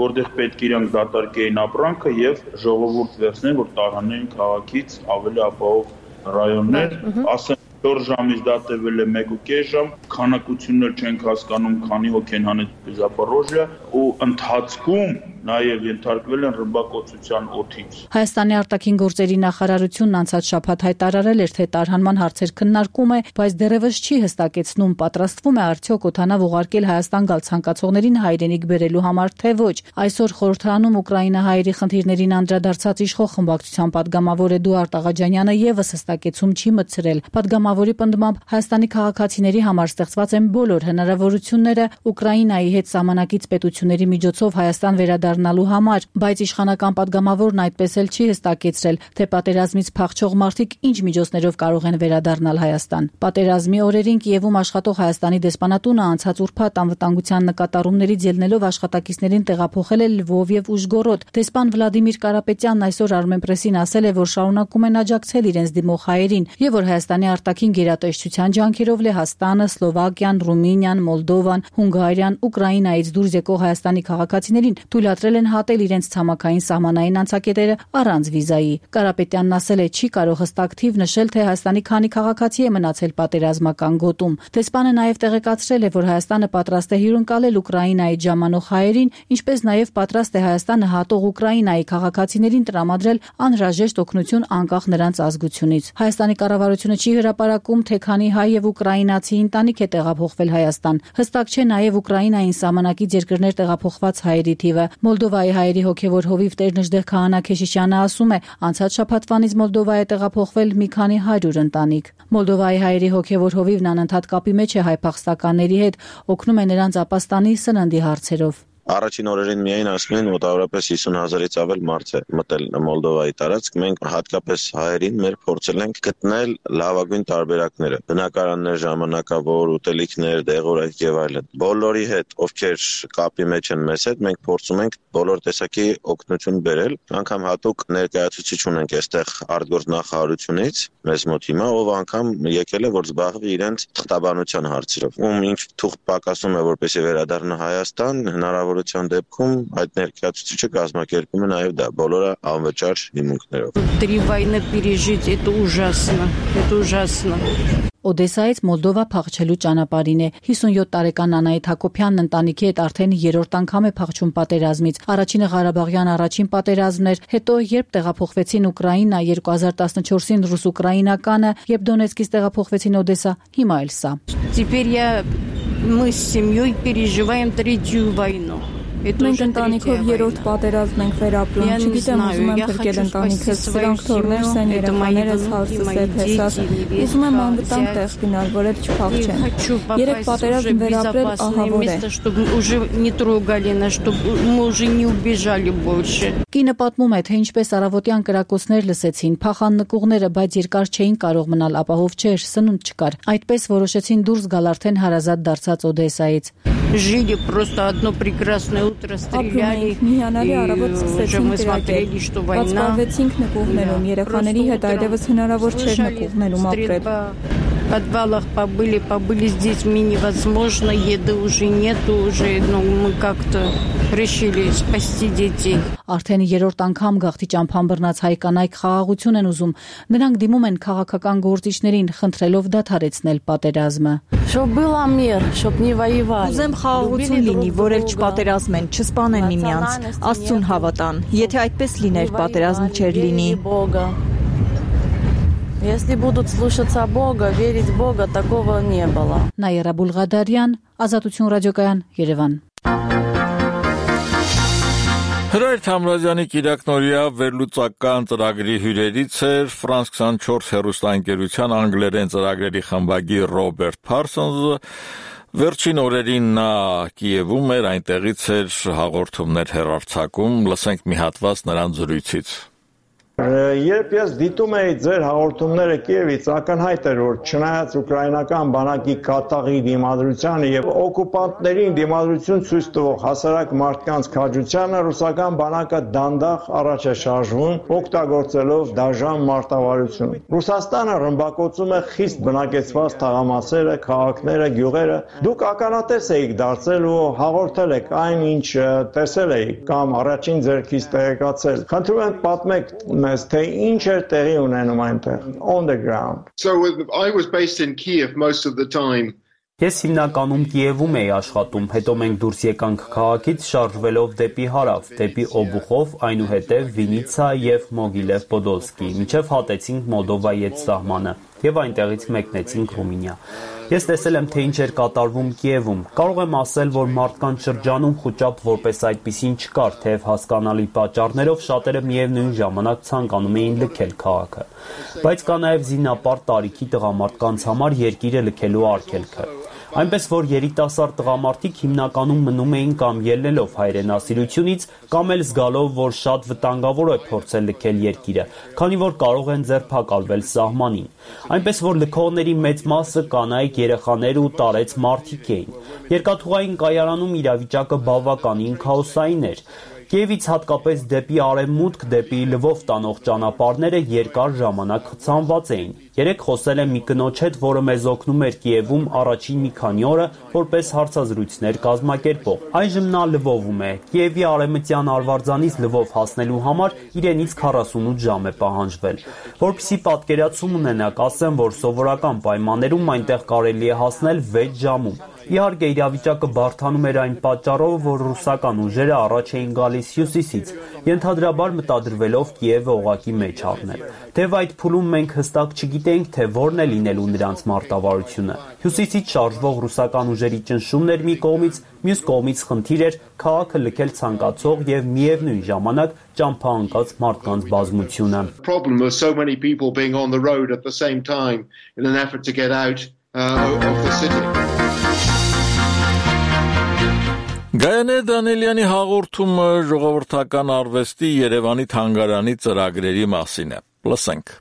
S13: որտեղ պետք է իրանք դատարկեին ապրանքը եւ ժողովուրդ վերցնեն, որ տարհանեն քաղաքից ավելի ապահով ռայոններ, ասեմ 4 ժամից դա տևել է 1.5 ժամ, քանակություններ չենք հասկանում, քանի հոգ են հանել Զապորոժիա ու ընթացքում նաև ենթարկվել են ռմբակոծության օդից։
S12: Հայաստանի արտաքին գործերի նախարարությունն անցած շաբաթ հայտարարել էր, թե տարհանման հարցեր քննարկում է, բայց դեռևս չի հստակեցնում, պատրաստվում է արդյոք օդանավ ուղարկել Հայաստան գալ ցանկացողներին հայրենիք բերելու համար, թե ոչ։ Այսօր խորհրդարանում ուկրաինահայերի խնդիրներին անդրադարձած իշխող խմբակցության падգամավոր Էդուարդ Աղաջանյանը եւս հստակեցում չի մտցրել։ Պատգամավորի պնդմամբ Հայաստանի քաղաքացիների համար ստեղծված են բոլոր հնարավորությունները Ուկրաինայի հետ սահմանակից պետությունների միջոցով Հայաստան վերադառնալու համար, բայց իշխանական падգամավորն այդպես էլ չի հստակեցրել, թե պատերազմից փախչող մարդիկ ինչ միջոցներով կարող են վերադառնալ Հայաստան։ Պատերազմի օրերին Կիևում աշխատող Հայաստանի դեսպանատունը անցած ուրբաթ անվտանգության նկատառումներից ելնելով աշխատակիցներին տեղափոխել է Լվով եւ Ուժգորոդ։ Դեսպան Վլադիմիր Կարապետյանն այսօր Armenpress-ին ասել է, որ շարունակում են աջակցել իրենց դիմող հայերին եւ որ Հայաստանի արտաքին գերատեսչության ջանքերով Լեհաստանը, Սլովակիան, Ռումինիան, Մոլդովան, Հունգարիան, Ուկրաինայից դուրս եկող Հայաստանի քաղաքացիներին թույլատրել են հատել իրենց ցամաքային սահմանային անցակետերը առանց վիզայի։ Կարապետյանն ասել է, չի կարող հստակ թիվ նշել, թե Հայաստանի քանի քաղաքացի է մնացել պատերազմական գոտում։ Դեսպանը նաև տեղեկացրել է, որ Հայաստանը պատրաստ է հյուրընկալել Ուկրաինայից ժամանող հայերին, ինչպես նաև պատրաստ է Հայաստանը հատող Ուկրաինայի քաղաքացիներին տրամադրել անհրաժեշտ օգնություն անկախ նրանց ազգությունից։ Հայաստանի կառավարությունը չի հրապարակում, թե քանի հայ եւ ուկրաինացի ընտանիք է տեղափոխվել Հայաստան։ Հստակ չէ նաև Ուկրաինային սահմանակից երկրներ տեղափոխված հայերի թիվը։ Մոլդովայի հայերի հոգևոր հովիվ Տեր-Նժդեղ Քահանա Քեշիշյանը ասում է, անցած շաբաթվանից Մոլդովա է տեղափոխվել մի քանի 100 ընտանիք։ Մոլդովայի հայերի հոգևոր հովիվն անընդհատ կապի մեջ է հայ փախստականների հետ, օգնում է նրանց ապաստանի սննդի հարցերով։
S14: Առաջին օրերին միայն ասում են մոտավորապես 50,000-ից ավել մարդ է մտել Մոլդովայի տարածք։ Մենք հատկապես հայերին մեր փորձել ենք գտնել լավագույն տարբերակները՝ բնակարաններ, ժամանակավոր ուտելիքներ, դեղորայք եւ այլն։ Բոլորի հետ, ովքեր կապի մեջ են մեզ հետ, մենք փորձում ենք բոլոր տեսակի օգնություն բերել։ Անգամ հատուկ ներկայացուցիչ ունենք այստեղ արտգործնախարարությունից մեզ մոտ հիմա, ով անգամ եկել է, որ զբաղվի իրենց թղթաբանության հարցերով։ Ում ինչ թուղթ պակասում է, որպեսզի վերադառնա Հայաստան, հնարավորության դեպքում այդ ներկայացուցիչը կազմակերպում է նաև դա բոլորը անվճար հիմունքներով։
S24: 3 войны пережить это ужасно, это ужасно.
S12: Օդեսայից Մոլդովա փախչելու ճանապարհին է 57 տարեկան Անահիտ Հակոբյանն ընտանիքի հետ արդեն 3-րդ անգամ է փախչում պատերազմից։ Առաջինը Ղարաբաղյան առաջին պատերազմն էր, հետո երբ տեղափոխվեցին Ուկրաինա 2014-ին ռուս-ուկրաինականը, երբ Դոնեցկից տեղափոխվեցին Օդեսա, հիմա էլ սա։
S24: Теперь мы с семьей переживаем 3-ю войну.
S15: Մենք ընտանիքով 3-րդ պատերազմն ենք վերապրում, չգիտեմ ուզում եմ փրկել ընտանիքս, սրանք թորներս են, երեխաներս, հարսս է, փեսաս, ուզում եմ անվտանգ տեղ գնալ, որ էլ չփախչեն։ 3 պատերազմ վերապրել ահավոր է։
S12: Կինը պատմում է, թե ինչպես առավոտյան կրակոցներ լսեցին, փախան նկուղները, բայց երկար չէին կարող մնալ, ապահով չէր, сынунд չկար։ Այդպես որոշեցին դուրս գալ արդեն հարազատ դարձած Օդեսայից։
S24: Жили просто одно прекрасное утро, стреляли,
S15: мы
S24: смотрели, что война.
S15: Բացվեցինք նկուղներում, երեխաների հետ այդևս հնարավոր չէր նկուղներում ապրել։
S24: В подвалах побыли с детьми невозможно, еды уже нету, уже, мы как-то решили спасти детей.
S12: Արդեն 3-րդ անգամ գաղթի ճամփան բռնած հայ կանայք խաղաղություն են ուզում։ Նրանք դիմում են քաղաքական գործիչներին, խնդրելով դադարեցնել պատերազմը։
S25: Ուզեմ խաղաղություն լինի, որ էլ չպատերազմեն, չսպանեն միմյանց, Աստծուն հավատան։ Եթե այդպես լիներ, պատերազմ չէր լինի։
S26: Если будут слушаться Бога, верить в Бога, такого не было.
S12: Նաիրա Բուլղադարյան, Ազատություն ռադիոկայան, Երևան։
S1: Հրայր Թամրազյանի կիրակնօրյա վերլուծական ծրագրի հյուրերից էր Ֆրանս 24 հեռուստաընկերության անգլերեն ծրագրերի խմբագիր Ռոբերտ Փարսոնզը։ Վերջին օրերին նա Կիևում էր, այնտեղից էր հաղորդումներ հեռարձակում, լսենք մի հատված նրան զրույցից։
S16: Երբ ես դիտում էի ձեր հաղորդումները Կիևից, ակնհայտ էր, որ չնայած ուկրաինական բանակի կատաղի դիմադրությանը եւ օկուպանտներին դիմադրություն ցույց տվող հասարակ մարդկանց քաջությանը, ռուսական բանակը դանդաղ առաջ է շարժվում, օգտագործելով դաժան մարտավարություն։ Ռուսաստանը ռմբակոծում է խիստ բնակեցված թաղամասերը, քաղաքները, գյուղերը։ Դուք ականատես եք դարձել ու հաղորդել եք այն, ինչ տեսել եք կամ առաջին ձեռքից տեղեկացել։ Խնդրում եմ պատմեք թե ինչ էր տեղի ունենում այնտեղ on the ground.
S17: So I was based in Kiev most of the time.
S10: Ես հիմնականում Կիևում էի աշխատում, հետո մենք դուրս եկանք քաղաքից շարժվելով դեպի հարավ, դեպի Օբուխով, այնուհետև Վինիցա եւ Մոգիլև Պոդոլսկի, մինչեւ հատեցինք Մոլդովայի հետ սահմանը եւ այնտեղից մեկնեցինք Ռումինիա։ Ես տեսել եմ, թե ինչ էր կատարվում Կիևում։ Կարող եմ ասել, որ մարդկանց շրջանում խոճապ որպես այդպիսին չկար, թեև հասկանալի պատճառներով շատերը միևնույն ժամանակ ցանկանում էին լքել քաղաքը։ Բայց կա նաև զինապար տարիքի տղամարդկանց համար երկիրը լքելու արգելքը։ Այնպես որ երիտասարդ տղամարդիկ հիմնականում մնում էին կամ ելնելով հայրենասիրությունից, կամ էլ զգալով, որ շատ վտանգավոր է փորձել լքել երկիրը, քանի որ կարող են ձերբակալվել սահմանին։ Այնպես որ լքողների մեծ մասը կանայք, երեխաներ ու տարեց մարդիկ էին։ Երկաթուղային կայարանում իրավիճակը բավականին քաոսային էր։ Կիևից հատկապես դեպի արևմուտք, դեպի Լվով տանող ճանապարհները երկար ժամանակ խցանված էին։ Երեք խոսել եմ մի կնոջ հետ, որը մեզ օգնում էր Կիևում առաջին մի քանի օրը որպես հարցազրույցներ կազմակերպող։ Այժմ նա Լվովում է։ Կիևի արևմտյան արվարձանից Լվով հասնելու համար իրենից 48 ժամ է պահանջվել։ Որպեսզի պատկերացում ունենաք, ասեմ, որ սովորական պայմաններում այնտեղ կարելի է հասնել 6 ժամում։ Իհարկե իրավիճակը բարդանում էր այն պատճառով, որ ռուսական ուժերը առաջ էին գալիս հյուսիսից, ենթադրաբար մտադրվելով Կիևը օղակի մեջ առնել։ Թեև այդ փուլում մենք հստակ չգիտեինք, թե որն է լինելու նրանց մարտավարությունը։ Հյուսիսից շարժվող ռուսական ուժերի ճնշումն էր մի կողմից, մյուս կողմից խնդիր էր քաղաքը լքել ցանկացող եւ միևնույն ժամանակ ճամփաանկած մարդկանց բազմությունը։
S17: Problem was so many people being on the road at the same time in an effort to get out of the city.
S1: Գայանե Դանիելյանի հաղորդումը ժողովրդական արվեստի Երևանի թանգարանի ծրագրերի մասին է։ Լսենք։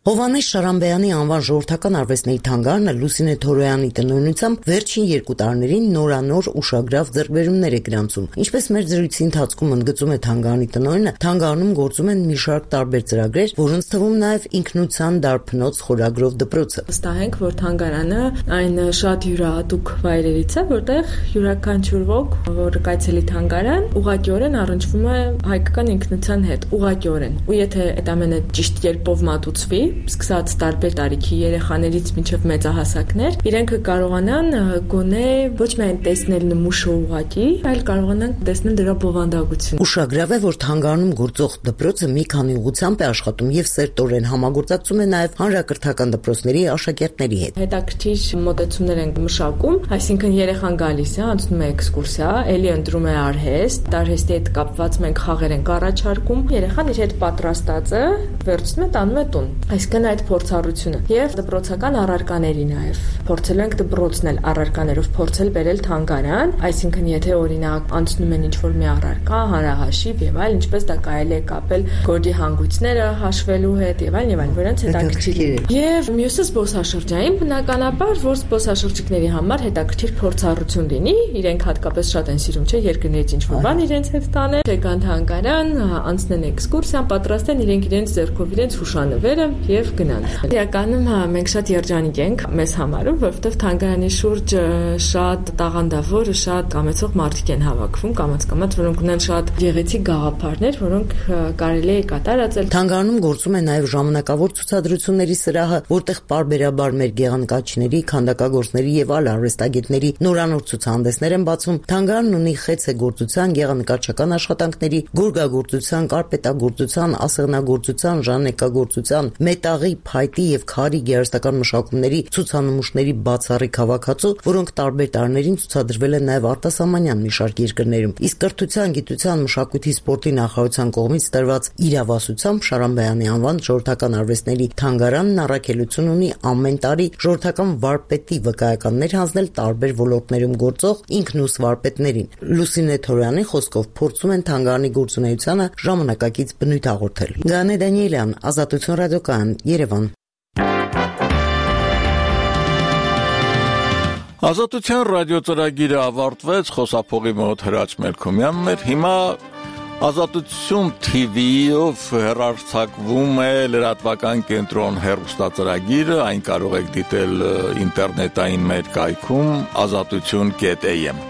S18: Հովհաննես Շարամբեյանի անվան ժողովրդական արվեստների թանգարանը Լուսինե Թորոյանի տնօրինությամբ վերջին 2 տարիներին նորանոր ուշագրավ ձեռքբերումներ է գրանցում։ Ինչպես մեր զրույցի ընթացքում ընդգծում է թանգարանի տնօրինը, թանգարանում գործում են մի շարք տարբեր ծրագրեր, որոնց թվում նաև ինքնության դարբնոց խորագրով դպրոցը։
S20: Վստահ ենք, որ թանգարանը այն շատ յուրահատուկ վայրերից է, որտեղ յուրաքանչյուր ոք, որ կայցելի թանգարան, ուղղակիորեն առնչվում է հայկական ինքնության հետ, ուղղակիորեն։ Ու եթե այդ ամենը ճիշտ կերպով մատուցվի, սկսած տարբեր տարիքի երեխաներից մինչև մեծահասակներ, իրենք կարողանան գոնե ոչ միայն տեսնել նմուշը ուղղակի, այլ կարողանան տեսնել դրա բովանդակությունը։
S18: Ուշագրավ է, որ թանգարանում գործող դպրոցը մի քանի ուղղությամբ է աշխատում եւ սերտորեն համագործակցում է նաեւ հանրակրթական դպրոցների աշակերտների հետ։
S20: Հետաքրքիր մոտեցումներ են մշակում, այսինքն երեխան գալիս է, անցնում է էքսկուրսիա, ելի ընտրում է արհեստ, արհեստի հետ կապված մենք խաղեր ենք առաջարկում, երեխան իր հետ պատրաստած է, վերցնում է տանում է տուն։ Այսինքն այդ փորձառությունը եւ դպրոցական առարկաների նաեւ փորձել ենք դպրոցն էլ առարկաներով փորձել բերել թանգարան, այսինքն եթե օրինակ անցնում են ինչ-որ մի առարկա, հանրահաշիվ եւ այլ, ինչպես դա կարելի է կապել գորգի հանգույցները հաշվելու հետ եւ այլն, որոնց հետաքրքիր է։ Եվ մյուսը զբոսաշրջային, բնականաբար, որ զբոսաշրջիկների համար հետաքրքիր փորձառություն լինի, իրենք հատկապես շատ են սիրում, չէ, երկրներից ինչ-որ բան իրենց հետ տանել, եկան թանգարան, անցնեն էքսկուրսիա, պատրաստեն իրենց ձեռքով իրենց հուշանվերը եւ գնան։ Իրականում մենք շատ երջանիկ ենք մեզ համարում, որովհետեւ թանգարանի շուրջ շատ տաղանդավոր, շատ կամեցող մարդիկ են հավաքվում, կամաց, որոնք ունեն շատ գեղեցիկ գաղափարներ, որոնք կարելի է կատարածել։
S18: Թանգարանում գործում է նաեւ ժամանակավոր ցուցադրությունների սրահը, որտեղ պարբերաբար մեր գեղանկարչիների, քանդակագործների եւ այլ արվեստագետների նորանոր ցուցահանդեսներ են բացվում։ Թանգարանն ունի խեցեգործության, գեղանկարչական աշխատանքների, գորգագործության, կարպետագործության, ասեղնագործության, ժանեկագործության, մեծ մետաղի, փայտի եւ քարի գեղարվեստական մշակումների ցուցանմուշների բացառիկ հավաքածու, որոնք տարբեր տարիներին ցուցադրվել են նաեւ արտասահմանյան մի շարք երկրներում։ Իսկ կրթության, գիտության, մշակույթի, սպորտի նախարարության կողմից տրված իրավասությամբ Շարամբեյանի անվան ժողովրդական արվեստների թանգարանն առաքելություն ունի ամեն տարի ժողովրդական վարպետի վկայականներ հանձնել տարբեր ոլորտներում գործող ինքնուս վարպետներին։ Լուսինե Թորոյանի խոսքով փորձում են թանգարանի գործունեությանը ժամանակակից բնույթ հաղորդել։ Գանե Դանիելյան, Ազատություն ռադիոկայան, Երևան։
S1: Ազատության ռադիոծրագիրը ավարտվեց, խոսափողի մոտ Հրաչ Մելքոմյանն էր։ Հիմա Ազատություն TV-ով հեռարձակվում է լրատվական կենտրոն հեռուստածրագիրը, այն կարող եք դիտել ինտերնետային մեր կայքում azatutun.am